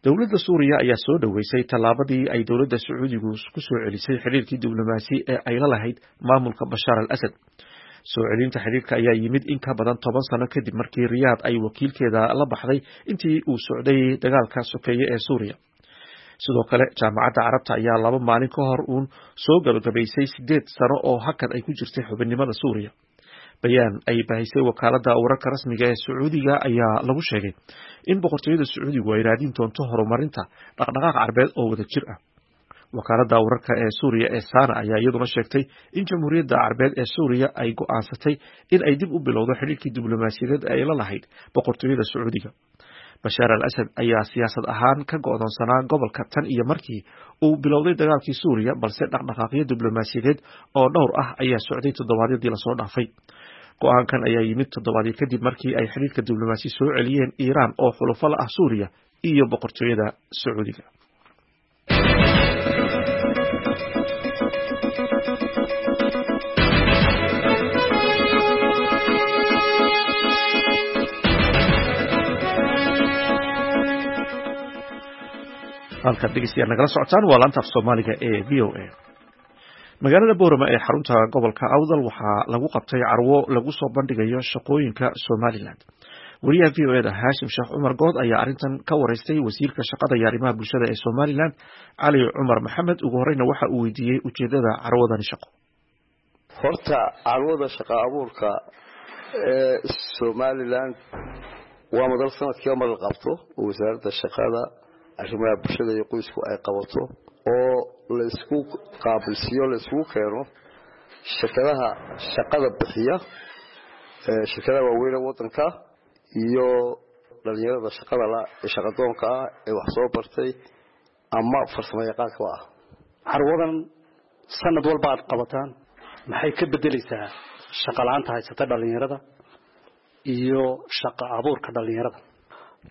Dowladda Suuriya ayaa soo dhoweysay tallaabadii ay dowladda Sacuudigu ku soo celisay xiriirkii diblomaasi ee ay la lahayd maamulka Bashaar al Asad. Soo celinta xiriirka ayaa yimid in ka badan 10 sano kadib markii Riyaad ay wakiilkeeda la baxday intii uu socday dagaalka sokeeye ee Suuriya. Sidoo kale, Jaamacadda Carabta ayaa 2 maalin ka hor uun soo gabagabaysay 8 sano oo hakad ay ku jirtay xubinnimada Suuriya. Bayaan ay bahisay wakaaladda wararka rasmiga ee Sacuudiga ayaa lagu sheegay in boqortooyada Sacuudigu ay raadin doonto horumarinta dhaqdhaqaaq carbeed oo wada jir ah. Wakaaladda wararka ee Suuriya ee Sana ayaa iyaduna sheegtay in Jamhuuriyadda Carbeed ee Suuriya ay go'aansatay in ay dib u bilowdo xidhiirkii diblomaasiyadeed ee ay la lahayd boqortooyada Sacuudiga. Bashaar al Asad ayaa siyaasad ahaan ka go'doonsanaa gobolka tan iyo markii uu bilowday dagaalkii Suuriya, balse dhaqdhaqaaqyo diblomaasiyadeed oo dhowr ah ayaa socday toddobaadyadii lasoo dhaafay. Go'aankan ayaa yimid toddobaadyo kadib markii ay xidhiirka diblomaasi soo celiyeen Iiraan oo xulufo la ah Suuriya iyo boqortooyada Sacuudiga. Halkaad dhegeystayaal nagala socotaan waa laanta af Soomaaliga ee VOA. Magaalada Boorama ee xarunta gobolka Awdal waxaa lagu qabtay carwo lagu soo bandhigayo shaqooyinka Somaliland. Wariyaha VOA da Haashim Sheekh Cumar Good ayaa arrintan ka wareystay wasiirka shaqada iyo arrimaha bulshada ee Somaliland, Cali Cumar Maxamed. Ugu horeyna waxa uu weydiiyey ujeedada carwadani shaqo. Horta carwada shaqa abuurka ee Somaliland waa madal sanadkiiba mar la qabto oo wasaaradda shaqada, arrimaha bulshada iyo qoysku ay qabato, oo la isku qaabilsiiyo, la isugu keeno shirkadaha shaqada bixiya, shirkadaha waaweyn ee waddanka iyo dhalinyarada shaqada la ee shaqadoonka ah ee wax soo bartay ama farsamo yaqaanka ah. Carwadan sanad walba aad qabataan maxay ka bedelaysaa shaqa la'aanta haysata dhalinyarada iyo shaqa abuurka dhalinyarada?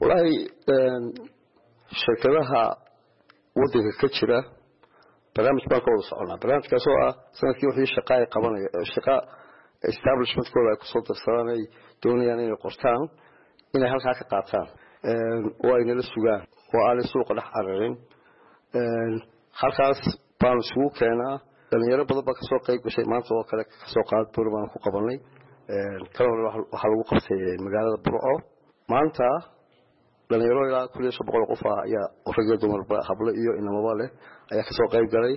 Walaahi shirkadaha waddanka ka jira barnaamij baan ka wada soconaa, barnaamijkaasoo ah sanadkii wixii shaqa ay qabanaya, shaqa establishmentkooda ay kusoo darsadaan, ay doonayaan inay qortaan, inay halkaa ka qaataan oo ay nala sugaan oo aanay suuqa dhex cararin. Halkaas baanu isugu keenaa dhalinyaro badan baa kasoo qayb gashay. Maanta oo kale kasoo qaad buur baanu ku qabanay, kala hore waxaa lagu qabtay magaalada Burco. Maanta dhalinyaro ilaa 1500 qof ah ayaa, rag iyo dumarba, hablo iyo inamaba leh, ayaa kasoo qayb galay.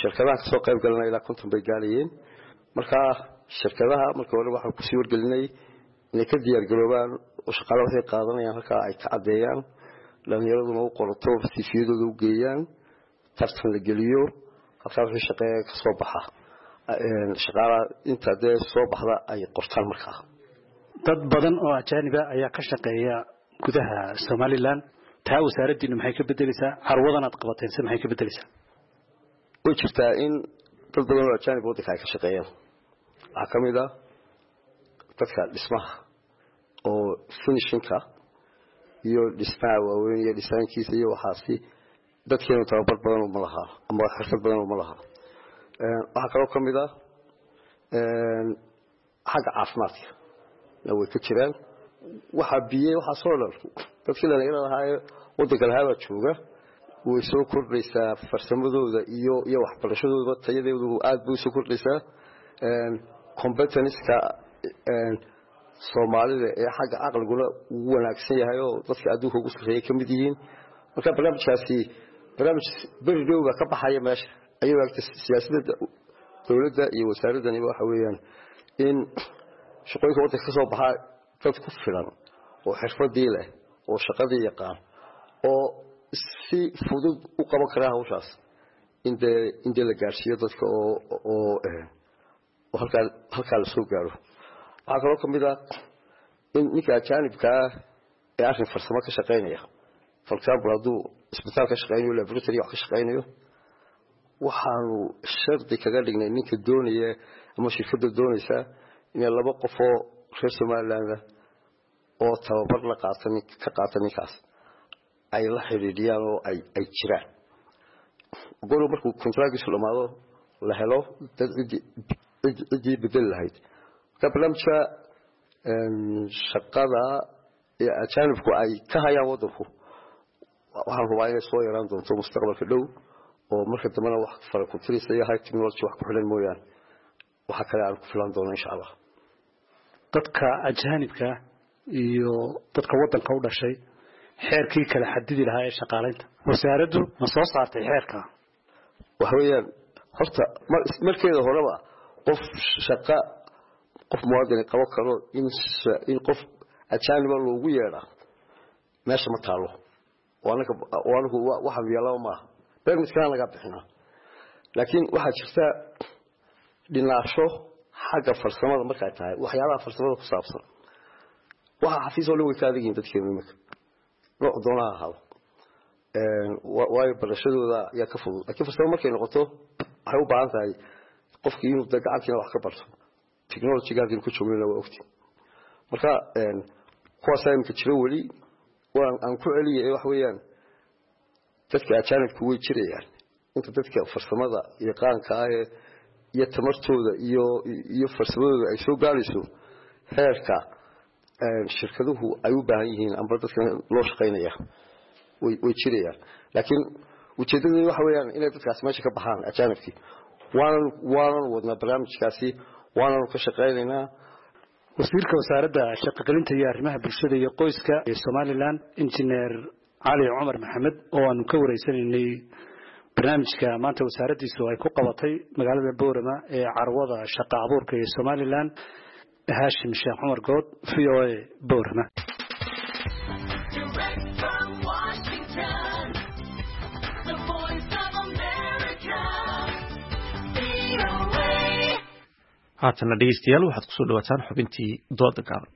Shirkadaha kasoo qayb galana ilaa 50 bay gaarayeen. Marka shirkadaha marka hore waxaan kusii wargelinay inay ka diyaargaroobaan oo shaqaale waxay qaadanayaan halkaa ay ka caddeeyaan, dhalinyaraduna u qorato, sifiyadooda u geeyaan, tartan la geliyo, halkaa wixii shaqeeya kasoo baxa shaqaalaha inta dee soo baxda ay qortaan. Markaa dad badan oo ajaaniba ayaa ka shaqeeya gudaha Somaliland. Taa wasaaraddiinu maxay ka bedeleysaa? Carwadan aad qabateen se maxay ka bedeleysaa? Way jirtaa in dad badan oo ajaanib waddanka ay ka shaqeeyaan. Waxaa ka mid ah dadka dhismaha oo finishinka iyo dhismaha waaweyn iyo dhisaankiisa iyo waxaasi, dadkeenu tababar badan uma lahaa ama xirfad badan uma lahaa. Waxaa kaloo ka mid ah xagga caafimaadka way ka jiraan. Waxaa biyey waxaasoo dhan dadkii dhalinyarada ahaa ee waddanka lahaa baa jooga. Way soo kordhaysaa farsamadooda iyo waxbarashadooda, tayadeedu aad bay usoo kordhaysaa. Competenska Soomaalida ee xagga caqliguna ugu wanaagsan yahay oo dadka adduunka ugu sarreeya ka mid yihiin. Marka barnaamijkaasi barnaamij beri dhow baa ka baxaya meesha ayuu agta siyaasadda dowladda iyo wasaaraddaniba waxa weeyaan in shaqooyinka waddanka ka soo baxaa dad ku filan oo xirfadii leh oo shaqadii yaqaan oo si fudud u qaban karaa hawshaas in dee la gaarsiiyo dadka oo halkaa la soo gaaro. Waxaa kaloo ka mid ah in ninka ajaanibkaa ee arrin farsamo ka shaqaynaya, for example hadduu isbitaal ka shaqaynayo, laboratory wax ka shaqaynayo, waxaanu shardi kaga dhignay ninka doonaya ama shirkadda doonaysa inay 2 qofoo reer Somaliland oo tababar la qaata ka qaata ninkaas ay la xidhiidhiyaan oo ay jiraan golu markuu kontraagiisu dhammaado la helo dad ciddii bedeli lahayd. Marka barnaamijka shaqada ee ajaanibku ay ka hayaan waddanku waxaan rubaa inay soo yaraan doonto mustaqbalka dhow, oo marka dambena wax fara ku tirisa iyo high technology wax ku xidhan mooyaane waxa kale aan ku filan doono insha Allah. Dadka ajaanibka iyo dadka waddanka u dhashay xeerkii kala xadidi lahaa ee shaqaalaynta wasaaraddu ma soo saartay xeerka? Waxa weeyaan horta markeeda horeba qof shaqa qof muwaadin qabo karo in qof ajaaniba loogu yeedhaa meesha ma taalo. Anagu waxaan yeelaba maaha, bermitkana laga bixinaa. Laakiin waxaa jirta dhinaasho xagga farsamada markay tahay waxyaabaha farsamada ku saabsan. Waxaa xafiis oo dhan way ka adag yihiin dadkeenu iminka, nooc doonaha ahaado, waayo barashadooda ayaa ka fudud. Laakiin farsamo markay noqoto waxay u baahan tahay qofkii inuu de gacantiina wax ka barto, technologyga halkiinu ku joognana waa ogti. Marka kuwaasaa iminka jiro weli waan aan ku celiyay. Waxa weeyaan dadka ajaanibku way jirayaan inta dadka farsamada yaqaanka ah ee iyo tamartooda iyo farsamadooda ay soo gaarayso heerka shirkaduhu ay u baahan yihiin amba dadka loo shaqaynaya way jirayaan. Laakiin ujeeddadu waxa weeyaan inay dadkaasi meesha ka baxaan ajaanibkii. Waanan wadnaa barnaamijkaasi, waananu ka shaqaynaynaa. Wasiirka wasaaradda shaqogelinta iyo arrimaha bulshada iyo qoyska ee Somaliland, injineer Cali Cumar Maxamed, oo aanu ka wareysanaynay barnaamijka maanta wasaaraddiisu ay ku qabatay magaalada Boorama ee carwada shaqa abuurka ee Somaliland. Haashim Sheekh Cumar Good, VOA, Boorama. Haatana dhegeystayaal waxaad kusoo dhawaataan xubintii dooda gaaban.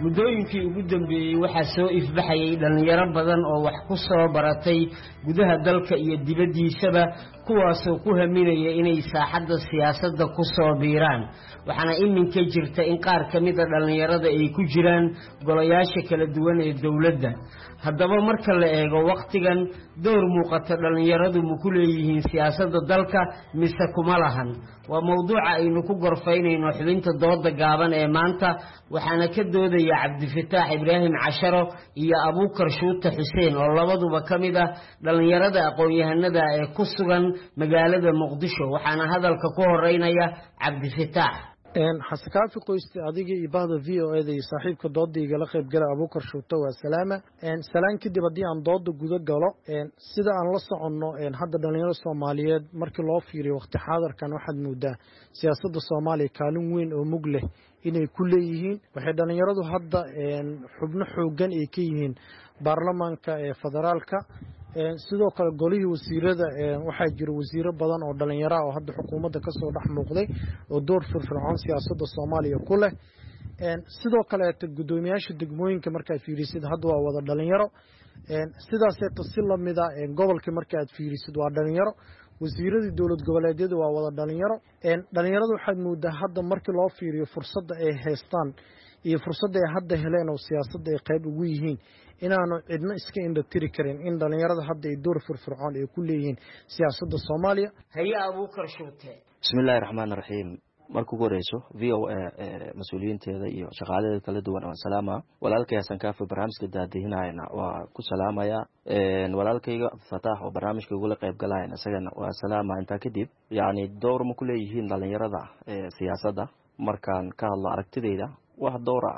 Muddooyinkii ugu dambeeyey waxaa soo ifbaxayay dhallinyaro badan oo wax ku soo baratay gudaha dalka iyo dibaddiisaba, kuwaasoo ku haminaya inay saaxadda siyaasadda ku soo biiraan. Waxaana iminka jirta in qaar ka mida dhallinyarada ay ku jiraan golayaasha kala duwan ee dowladda. Haddaba marka la eego wakhtigan, door muuqata dhallinyaradu ma ku leeyihiin siyaasadda dalka mise kuma lahan? Waa mowduuca aynu ku gorfaynayno xubinta dooda gaaban ee maanta, waxaana ka doodaya Cabdifataax Ibraahim Casharo iyo Abuukar Shuute Xuseen oo labaduba ka mid ah dhallinyarada aqoon-yahanada ee ku sugan magaalada Muqdisho. Waxaana hadalka ku horeynaya Cabdifataax. Xasan Kaafi Qoyste, adiga iyo bahda VOA da iyo saaxiibka dooda igala qayb gala Abuukar Shuute, waa salaama. Salaan kadib, haddii aan dooda guda galo, sida aan la soconno, hadda dhalinyaro Soomaaliyeed markii loo fiiriyo waqti xaadirkan, waxaad moodaa siyaasadda Soomaaliya kaalin weyn oo mug leh inay ku leeyihiin. Waxay dhalinyaradu hadda xubno xoogan ay ka yihiin baarlamaanka ee federaalka. Sidoo kale golihii wasiirada, waxaa jira wasiiro badan oo dhalinyaro ah oo hadda xukuumadda kasoo dhex muuqday oo door firfircoon siyaasadda Soomaaliya ku leh. Sidoo kaleeto guddoomiyaasha degmooyinka markaad fiirisid hadda waa wada dhalinyaro. Sidaaseeto si lamida gobolka marka aad fiirisid waa dhalinyaro. Wasiiradii dowlad goboleedyada waa wada dhalinyaro. Dhalinyarada waxaad moodaa hadda markii loo fiiriyo fursadda ay haystaan iyo fursadda ay hadda heleen oo siyaasadda ay qayb ugu yihiin, inaanu cidno iska indhatiri karin in dhalinyarada hadda ay door firfircoon ay ku leeyihiin siyaasadda Soomaaliya. Haye, Abuukar Shuute. Bismillahi raxmaan raxiim. Marka ugu horeyso, VOA mas-uuliyiinteeda iyo shaqaaladeeda kala duwan waan salaama. Walaalkay Xasan Kaafi barnaamijka daadihinayana waa ku salaamaya. Walaalkayga Fataax oo barnaamijka igula qayb galayana isagana waa salaama. Intaa kadib, yacni, door ma ku leeyihiin dhalinyarada siyaasadda? Markaan ka hadlo aragtidayda, wax doora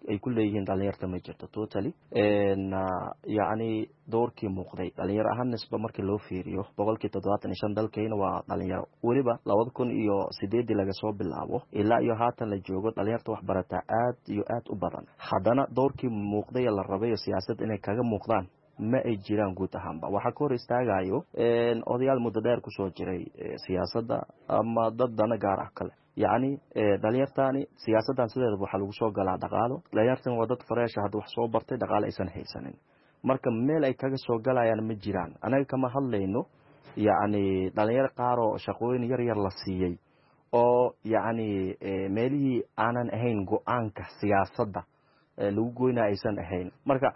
ay ku leeyihiin dhalinyarta ma jirto totally. Yacni, doorkii muuqday dhalinyaro ahaan nisba markii loo fiiriyo, 75% dalkayna waa dhalinyaro. Weliba 2008-dii laga soo bilaabo ilaa iyo haatan la joogo, dhalinyarta wax barataa aad iyo aad u badan. Haddana doorkii muuqday la rabayo siyaasad inay kaga muuqdaan ma ay jiraan guud ahaanba. Waxaa ka hor istaagayo odayaal muddo dheer kusoo jiray siyaasadda ama dad dana gaar ah kale. Yacni, dhalinyartani siyaasaddan sideedaba waxaa lagu soo galaa dhaqaalo. Dhalinyartan waa dad fresh ah, hadda wax soo bartay, dhaqaalo aysan haysanin, marka meel ay kaga soo galayaan ma jiraan. Anaga kama hadlayno, yacni, dhalinyaro qaar oo shaqooyin yar yar la siiyey oo, yacni, meelihii aanan ahayn go-aanka siyaasadda lagu goynaya aysan ahayn. Marka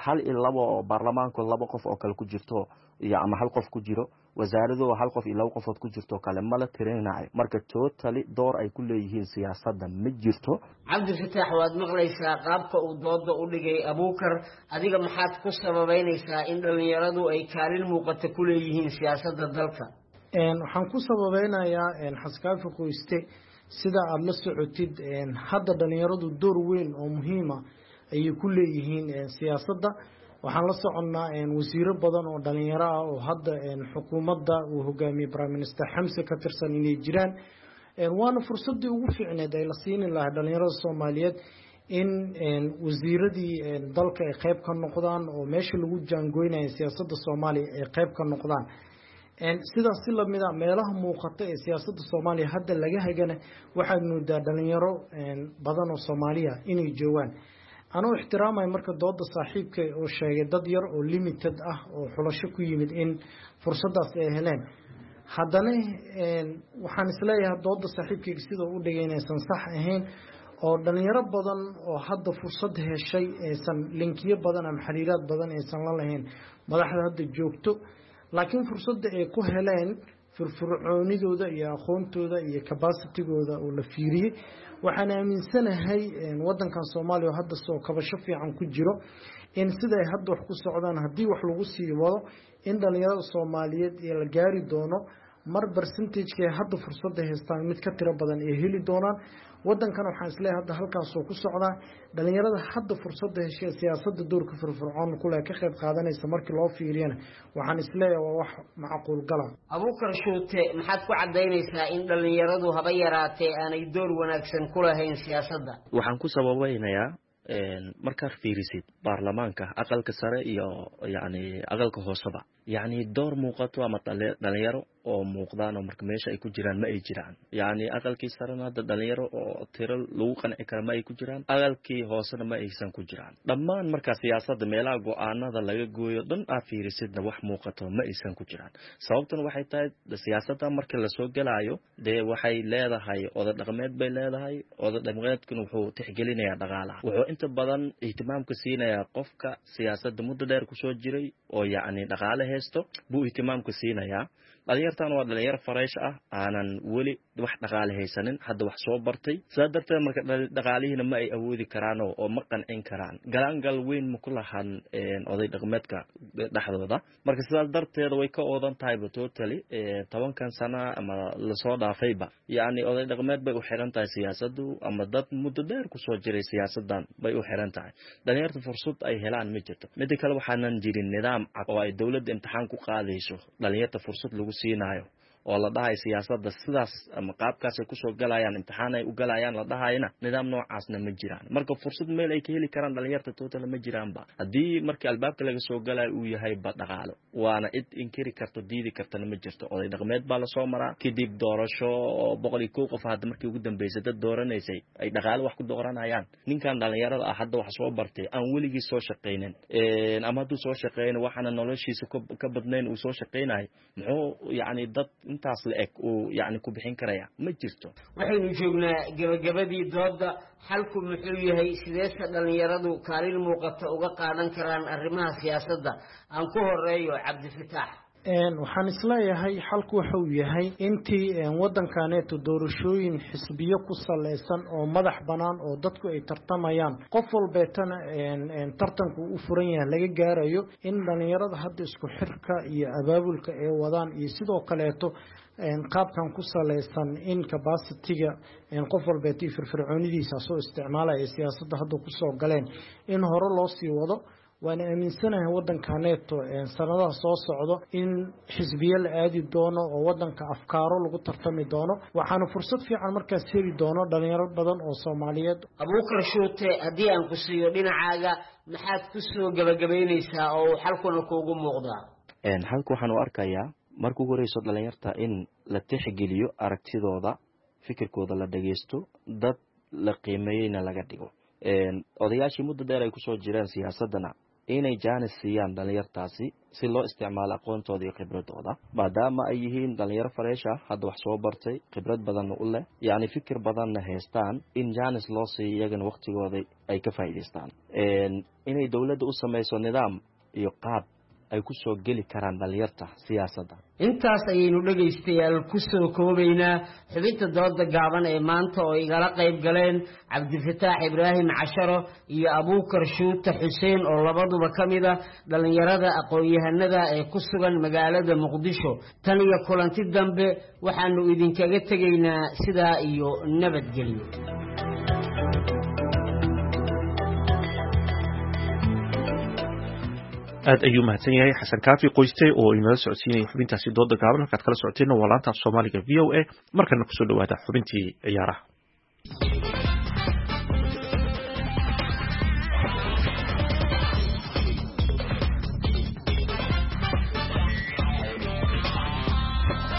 hal iyo labo oo baarlamaanku laba qof oo kale ku jirto iyo ama hal qof ku jiro, wasaarado hal qof iyo laba qofood ku jirto kale mala tirinayo. Marka totally door ay ku leeyihiin siyaasadda ma jirto. Cabdifataax, waad maqlaysaa qaabka uu dooda u dhigay Abuukar. Adiga maxaad ku sababeynaysaa in dhallinyaradu ay kaalin muuqata ku leeyihiin siyaasadda dalka? Waxaan ku sababeynayaa, Xasan Kaafi Qoyste, sida aada la socotid, hadda dhalinyaradu door weyn oo muhiima ayay ku leeyihiin siyaasadda. Waxaan la soconnaa wasiiro badan oo dhalinyaro ah oo hadda xukuumadda uu hogaamiyey Prime Minister Xamse ka tirsan inay jiraan, waana fursaddii ugu fiicneed ay la siini lahaa dhalinyarada Soomaaliyeed in wasiiradii dalka ay qayb ka noqdaan oo meesha lagu jaangoynaya siyaasadda Soomaaliya ay qayb ka noqdaan. Sidaas si lamid a, meelaha muuqata ee siyaasadda Soomaaliya hadda laga hagana waxaad moodaa dhalinyaro badan oo Soomaaliya inay joogaan. Anuu ixtiraamaya marka dooda saaxiibka oo sheegay dad yar oo limited ah oo xulasho ku yimid in fursaddaas ay heleen, haddana waxaan isleeyahay dooda saaxiibkayga sida u dhigay inaysan sax ahayn, oo dhalinyaro badan oo hadda fursad heshay aysan linkiyo badan ama xiriiraad badan aysan la lahayn madaxda hadda joogto, laakiin fursadda ay ku heleen firfircoonidooda iyo aqoontooda iyo capacitygooda oo la fiiriyey. Waxaan aaminsanahay wadankan Soomaaliya oo hadda soo kabasho fiican ku jiro, in sida ay hadda wax ku socdaan haddii wax lagu sii wado, in dhalinyarada Soomaaliyeed ee la gaari doono mar percentageka ay hadda fursadda haystaan mid ka tiro badan ay heli doonaan. Wadankan waxaan isleeyahay hadda halkaasoo ku socdaa. Dhalinyarada hadda fursadda heshay siyaasadda doorka firfircoon kuleh ka qayb qaadanaysa markii loo fiiriyana, waxaan isleeyahay waa wax macquul gala. Abuukar Shuute, maxaad ku caddaynaysaa in dhallinyaradu haba yaraatee aanay door wanaagsan ku lahayn siyaasadda? Waxaan ku sababeynayaa Markaad fiirisid baarlamaanka aqalka sare iyo yacni aqalka hooseba, yacni door muuqato ama dhalinyaro oo muuqdaan oo marka meesha ay ku jiraan ma ay jiraan. Yacni aqalkii sarena hadda dhalinyaro oo tiro lagu qanci kara ma ay ku jiraan, aqalkii hoosena ma aysan ku jiraan. Dhammaan markaa siyaasadda meelaha go-aanada laga gooyo dhan aad fiirisidna wax muuqato ma aysan ku jiraan. Sababtuna waxay tahay siyaasadda marka lasoo gelaayo dee waxay leedahay oda dhaqameed bay leedahay. Oda dhaqameedkuna wuxuu tixgelinayaa dhaqaalaha, wuxuu inta badan ihtimaamka siinayaa qofka siyaasadda muddo dheer kusoo jiray oo yacni dhaqaale haysto buu ihtimaamka siinayaa. Dhalinyartan waa dhalinyaro fareesh ah, aanan weli wax dhaqaale haysanin, hadda wax soo bartay. Sidaa darteed marka dhaqaalihiina ma ay awoodi karaan oo ma qancin karaan. Galaangal weyn ma ku lahan oday dhaqameedka dhexdooda. Marka sidaas darteeda way ka oodan tahayba totally 10kan sana ama lasoo dhaafayba. Yacni oday dhaqameed bay u xiran tahay siyaasaddu, ama dad muddo dheer kusoo jiray siyaasaddan bay u xiran tahay. Dhalinyarta fursad ay helaan ma jirto. Midda kale, waxaanan jirin nidaam cad oo ay dowladda imtixaan ku qaadayso dhalinyarta, fursad lagu siinaayo oo la dhahayo siyaasadda sidaas ama qaabkaasay kusoo galayaan, imtixaan ay u galayaan la dhahayna, nidaam noocaasna ma jiraan. Marka fursad meel ay ka heli karaan dhalinyarta total ma jiraanba, haddii markii albaabka laga soo galayo uu yahay ba dhaqaalo. Waana cid inkiri karto, diidi kartana ma jirto. Oday dhaqameed baa lasoo maraa, kadib doorasho oo 101 qof hadda markii ugu dambeysay dad dooranaysay ay dhaqaalo wax ku dooranayaan. Ninkan dhalinyarada ah hadda wax soo bartay, aan weligii soo shaqaynin, ama hadduu soo shaqeyno waxaana noloshiisa ka badnayn uu soo shaqaynayo, muxuu yacni dad intaas la eg uu yacni ku bixin karaya? Ma jirto. Waxaynu joognaa gebagabadii doodda. Xalku muxuu yahay? Sideese dhallinyaradu kaalin muuqata uga qaadan karaan arrimaha siyaasadda? Aan ku horeeyo Cabdifataax. Waxaan isleeyahay xalku waxa uu yahay intii waddankaneeto doorashooyin xisbiyo ku saleysan oo madax bannaan oo dadku ay tartamayaan, qof walbeetana tartanku u furan yahay laga gaarayo, in dhallinyarada hadda isku xirka iyo abaabulka ay wadaan iyo sidoo kaleeto qaabkan ku saleysan in capacity-ga qof walbeeto iyo firfircoonidiisa soo isticmaalaya ee siyaasadda hadda kusoo galeen in hore loo sii wado. Waana aaminsanahay waddankaneeto sanadaha soo socdo in xisbiye la aadi doono oo waddanka afkaaro lagu tartami doono, waxaana fursad fiican markaas heli doono dhalinyaro badan oo Soomaaliyeed. Abuukar Shuute, haddii aan ku siiyo dhinacaaga, maxaad ku soo gebagabaynaysaa oo uu xalkuna kuugu muuqdaa? Xalka waxaan u arkayaa marka ugu horeyso dhalinyarta in la tixgeliyo aragtidooda, fikirkooda la dhageysto, dad la qiimeeyeyna laga dhigo. Odayaashii muddo dheer ay kusoo jireen siyaasaddana inay jaanis siiyaan dhalinyartaasi si loo isticmaalo aqoontooda iyo khibradooda, maadaama ay yihiin dhalinyaro fareesh ah, hadda wax soo bartay, khibrad badanna u leh, yacni fikir badanna haystaan, in jaanis loo siiyo iyagana waqtigooda ay ka faa'iidaystaan. Inay dowladda u samayso nidaam iyo qaab ay ku soo geli karaan dhalinyarta siyaasadda. Intaas ayaynu dhegaystayaal ku soo koobaynaa xubinta dooda gaaban ee maanta oo igala qayb galeen Cabdifataax Ibraahim Casharo iyo Abuukar Shuute Xuseen oo labaduba ka mid ah dhallinyarada aqoon-yahanada ee ku sugan magaalada Muqdisho. Tan iyo kulanti dambe, waxaanu idinkaga tegaynaa sidaa iyo nabadgelyo. Aad ayuu mahadsan yahay Xasan Kaafi Qoyste oo inala socodsiinaya xubintaasi dooda gaaban. Halkaad kala socoteenna waa laanta af Soomaaliga VOA. Markana kusoo dhawaada xubintii ciyaaraha.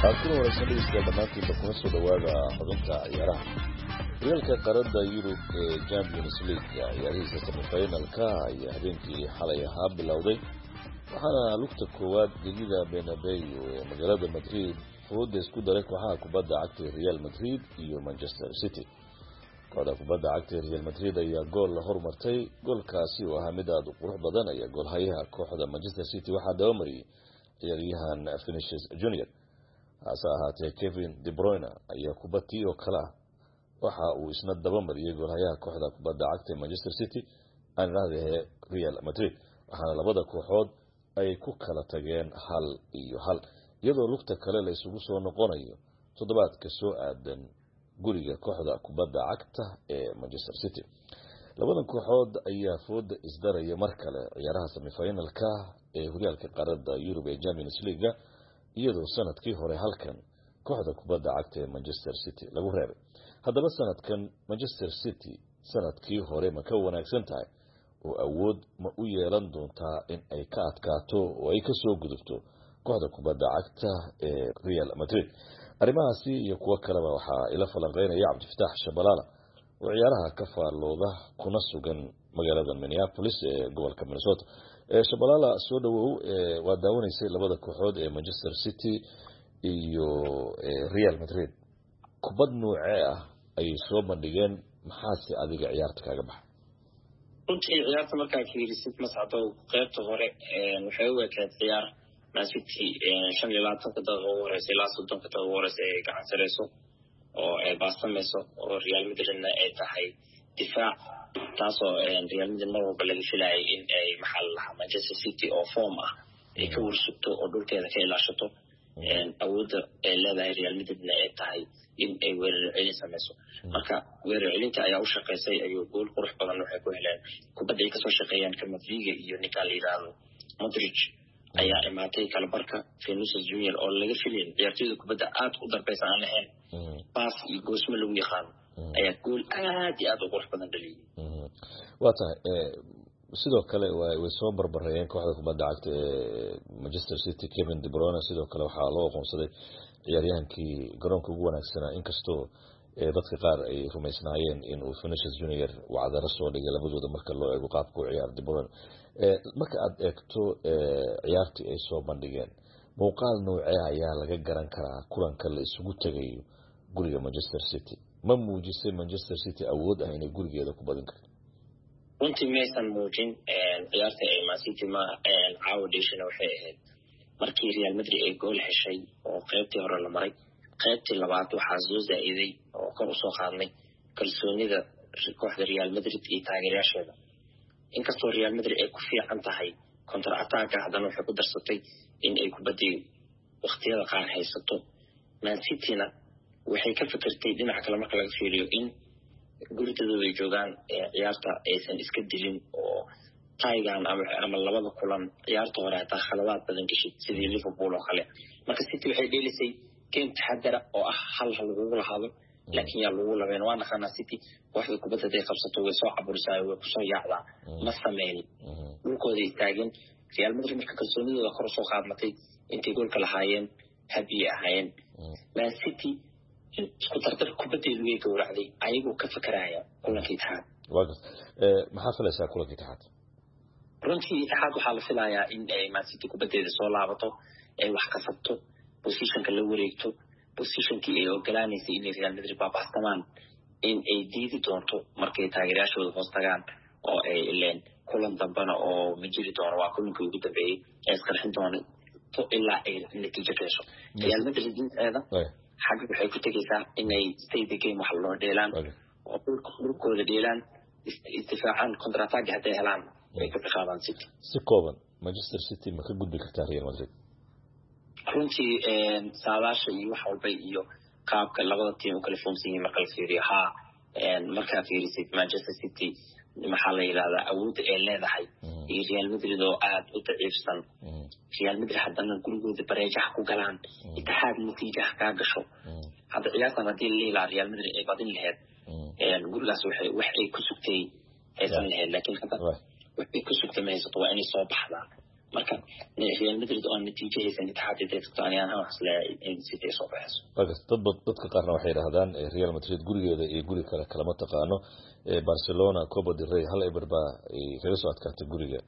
Aad kuna waraysan dhegeystayaal dhammaantiinba, kuna soo dhawaada xubinta ciyaaraha. Horyaalka qaaradda Yurub ee Champions League ciyaarihiisa semifinalka ayaa habeenkii xalay ahaa bilowday, waxaana lugta koowaad gegida Bernabeu ee magaalada Madrid fooda isku daray kooxaha kubadda cagta Real Madrid iyo Manchester City. Kooxda kubadda cagta Real Madrid ayaa gool la hormartay. Goolkaasi oo ahaa mid aada u qurux badan ayaa goolhayaha kooxda Manchester City waxaa dabamariyey ciyaaryahan Vinicius Junior. Hase ahaatee Kevin De Bruyne ayaa kubadtii oo kale ah waxa uu isna dabamariyey goolhayaha kooxda kubadda cagta Manchester City, aan idhaahdee Real Madrid, waxaana labada kooxood ay ku kala tageen 1-1, iyadoo lugta kale la isugu soo noqonayo toddobaadka soo aadan guriga kooxda kubadda cagta ee Manchester City. Labadan kooxood ayaa fooda isdaraya mar kale ciyaaraha semifinalka ee horyaalka qaaradda Yurub ee Champions League, iyadoo sanadkii hore halkan kooxda kubadda cagta ee Manchester City lagu reebay. Haddaba sanadkan Manchester City sanadkii hore ma ka wanaagsan tahay oo awood ma u yeelan doontaa in ay ka adkaato oo ay kasoo gudubto kooxda kubadda cagta ee Real Madrid? Arrimahaasi iyo kuwo kaleba waxaa ila falanqeynaya Cabdifataax Shabalaala oo ciyaaraha ka faallooda kuna sugan magaalada Minneapolis ee gobolka Minnesota. Shabalaala, soo dhawow. Waa daawanaysay labada kooxood ee Manchester City iyo Real Madrid. Kubad noocee ah ayay soo bandhigeen? Maxaase adiga ciyaarta kaaga baxa? Runtii ciyaarta markaa fiirisid, Mascadow, qeybta hore waxay u ekayd ciyaar Man City 25-ka daqiiqa ugu horeysa ilaa 30-ka daqiiqa ugu horeysa ay gacan sareyso oo ay baastamayso, oo Real Madridna ay tahay difaac, taasoo Real Madrid mar walba laga filayay in ay, maxaa la lahaa, Manchester City oo form ah ay ka warsugto oo dhulkeeda ka ilaashato. Awoodda ay leedahay Real Madridna ay tahay in ay weerar celin samayso. Marka weerar celinta ayaa u shaqaysay, ayuu gool qurux badan waxay ku heleen kubadda ay kasoo shaqeeyaan Camavinga iyo ninkaan la yidhaahdo Modric ayaa imaatay kalabarka. Vinicius Junior oo laga filayn ciyaartoyda kubadda aad u darbeysa aan ahayn, baas iyo goosmo lagu yaqaano, ayaa gool aad iyo aad u qurux badan dhaliyay. Waa tahay. Sidoo kale way soo barbareeyeen kooxda kubadda cagta ee Manchester City. Kevin De Bruyne sidoo kale waxaa loo aqoonsaday ciyaaryahankii garoonka ugu wanaagsanaa, inkastoo dadka qaar ay rumaysnaayeen in uu Vinicius Junior wacdaro soo dhigay labadooda marka loo eego qaabka u ciyaar De Bruyne. Marka aad eegto ciyaartii ay soo bandhigeen, muuqaal noocee ayaa laga garan karaa kulanka la isugu tegayo guriga Manchester City? Ma muujisay Manchester City awood ah inay gurigeeda ku badin karto? Runtii maysan muujin. Ciyaarta ay Man City ma caawa dheshana waxay ahayd markii Real Madrid ay gool heshay oo qaybtii hore la maray, qaybtii labaad waxaa soo zaa'iday oo kor usoo qaadnay kalsoonida kooxda Real Madrid iyo taageerayaasheeda. Inkastoo Real Madrid ay ku fiican tahay counter attacka, haddana waxay ku darsatay in ay kubaddii waqtiyada qaar haysato. Man Cityna waxay ka fikirtay dhinaca kale marka laga fiiriyo in guridadooda ay joogaan, ciyaarta aysan iska dilin oo taigan ama labada kulan ciyaarta hore hataa khaladaad badan geshid sidii Liverpool oo kale. Marka City waxay dheelisay game taxadara oo ah hal ha lagugu lahaado, laakiin yaa lagu labeen. Waa naqaanaa City kooxda kubadda haday qabsato way soo caburisaa, way kusoo yaacdaa. Ma sameynin, dhulkooda istaageen Real Madrid. Marka kalsoonidooda kor usoo qaadmatay intay goolka lahaayeen, habiyay ahaayeen. Man City isku dardar kubaddeedu way gowracday ayagoo ka fakaraya kulanka Itixaad. Maxaa filaysaa kulanka Itixaad? Runtii Itixaad waxaa la filayaa in ay Man City kubaddeeda soo laabato, ay wax kasabto, positionka la wareegto, positionkii ay ogolaanaysay inay Real Madrid baabastamaan in ay diidi doonto markay taageerayaashooda hoos tagaan oo ay ileen kulan dambena oo ma jiri doono, waa kulankii ugu dambeeyey ee isqarxin doono ilaa ay natiijo ka hesho. Real Madrid dhinaceeda xagga waxay ku tegaysaa inay stay the game wax loo dheelaan oo dhulkooda dheelaan, isdifaacaan, counter-attack hadday helaan ay ka ciqaabaan City. Si kooban, Manchester City ma ka gudbi kartaa Real Madrid? Runtii saadaasha iyo wax walba iyo qaabka labada team u kala foomsan yihiin marka la fiiriyo, haa. Markaa fiirisid Manchester City, maxaa la yidhahdaa, awoodda ay leedahay iyo Real Madrid oo aada u daciifsan, Real Madrid haddana gurigooda bareejaha ku galaan, Itixaad natiijaha kaa gasho. Hadda ciyaartan haddii la leelaa Real Madrid ay badin laheyd, gurigaas waxay wax ay ku sugtay haysan laheyd, laakiin hadda wax ay ku sugtay ma haysato, waa inay soo baxdaa. Marka Real Madrid oo natiijo haysan Itixaad intay tagto, ani ahaan waxaan isleeyahay in City ay soo baxayso. Dadka qaarna waxay yidhaahdaan Real Madrid gurigeeda iyo guri kale kalama taqaano. Barcelona Copa del Rey 1-0 baa ay kaga soo adkaatay guriga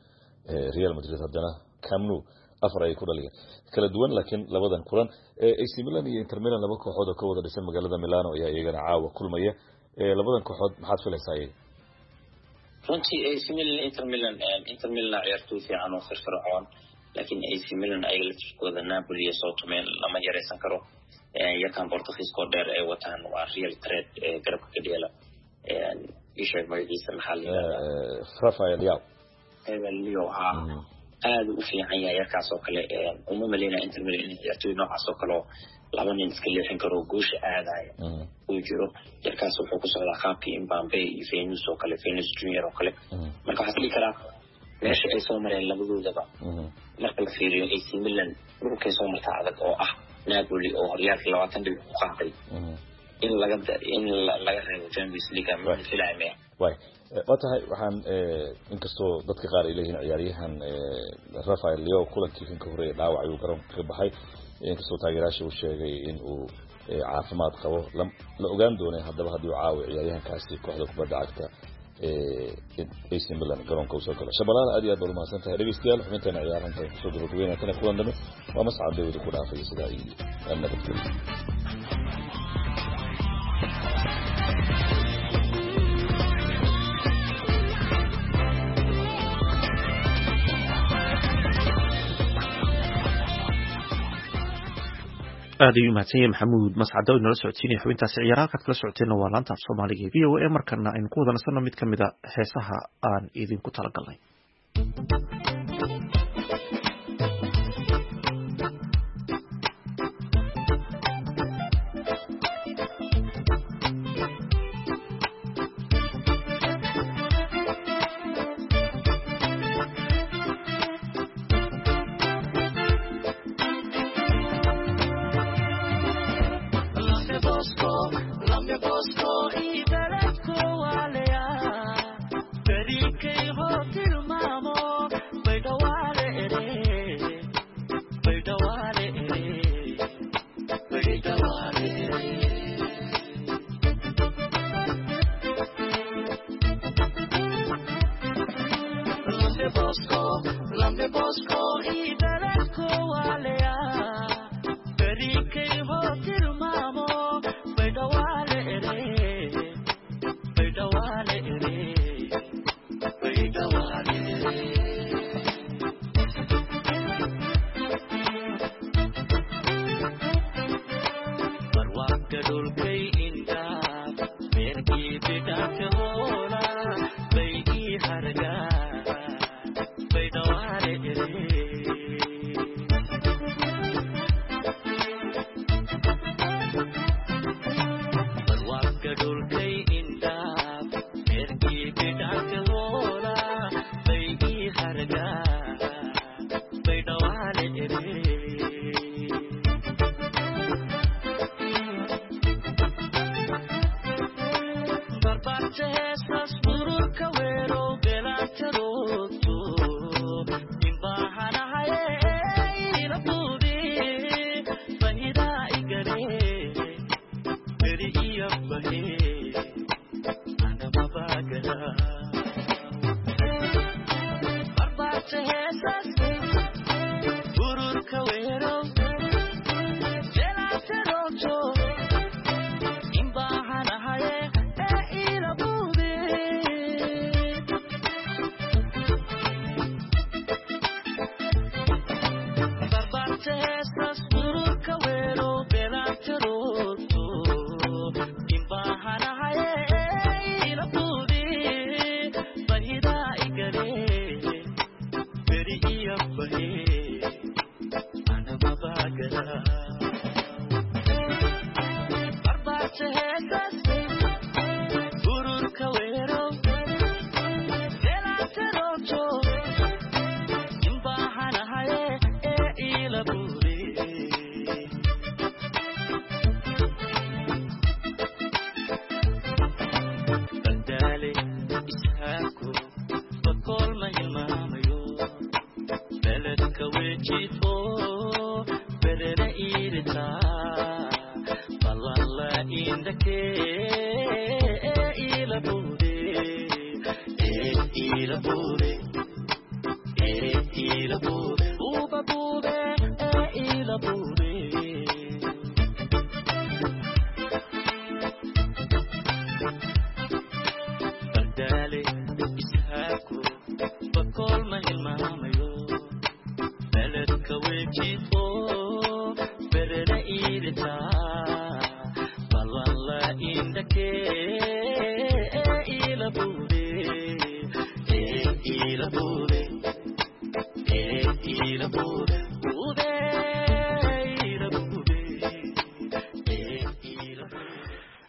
Real Madrid, haddana Camp Nou 4 ayay ku dhaliyeen. Kala duwan laakiin labadan kulan, AC Milan iyo Inter Milan, laba kooxood oo ka wada dhisan magaalada Milano, ayaa iyagana caawa kulmaya. Labadan kooxood maxaad filaysaa iyaga? Runtii AC Milan, Inter Milan, Inter Milan ciyaartoy fiican oo firfircoon, laakiin AC Milan ayaga laftirkooda Napoli ay soo tumeen, lama yareysan karo. Yarkan Portugiiskoo dheer ay wataan waa real threat, garabka ka dheela. Ii sheeg magaciisa, maxaa la yidhahdaa? Rafael Leao. Leo, haa, aada u fiican yahay yarkaas oo kale. Uma maleynaya Inter Milan in ciyaartoy noocaas oo kale oo laba nin iska leexin karo goosha aadaya uu jiro. Yarkaas wuxuu ku socdaa qaabkii Mbappe iyo Venus oo kale, Venus Junior oo kale. Marka waxaa is dhihi karaa meesha ay soo mareen labadoodaba marka la fiiriyo, AC Milan dhulkay soo martaa adag oo ah Napoli oo horyaalka 20 dhibic ku qaaday, in laga reebo Champions League ma filaya maya. Way waa tahay, waxaan inkastoo dadka qaar ay leeyihiin ciyaaryahan Rafael Leo kulankii kan ka horreeyay dhaawac ayuu garoonka kaga baxay, inkastoo taageerayaasha uu sheegay in uu caafimaad qabo, la ogaan doonay haddaba haddii uu caawi ciyaaryahankaasi kooxda kubadda cagta AC Milan garoonka usoo galo. Shabalaal, aad iyo aad baad umahadsan tahay. Dhegeystayaal, xubinteena ciyaarahan intaan kusoo gabagabeynaa tana kulan dambe, waa Mascad dawada ku dhaafay sidaa iyo nabadgelyo. Aad ayuu mahadsan yahay Maxamuud Mascado inala socodsiinaya xubintaasi ciyaaraha. Halkaad kala socoteenna waa laanta af Soomaaliga ee VOA. Markana aynu ku wada nasanno mid ka mid a heesaha aan idinku talagalnay.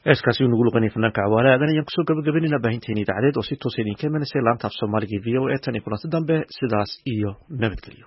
Heeskaasi uu nagu luqanayay fanaanka Cawaale Aadan ayaan kusoo gabagabaynayna baahinteena idaacadeed oo si toosa idinka imanaysa laanta af Soomaaliga e VOA. Tan iyo kulanti dambe, sidaas iyo nabadgelyo.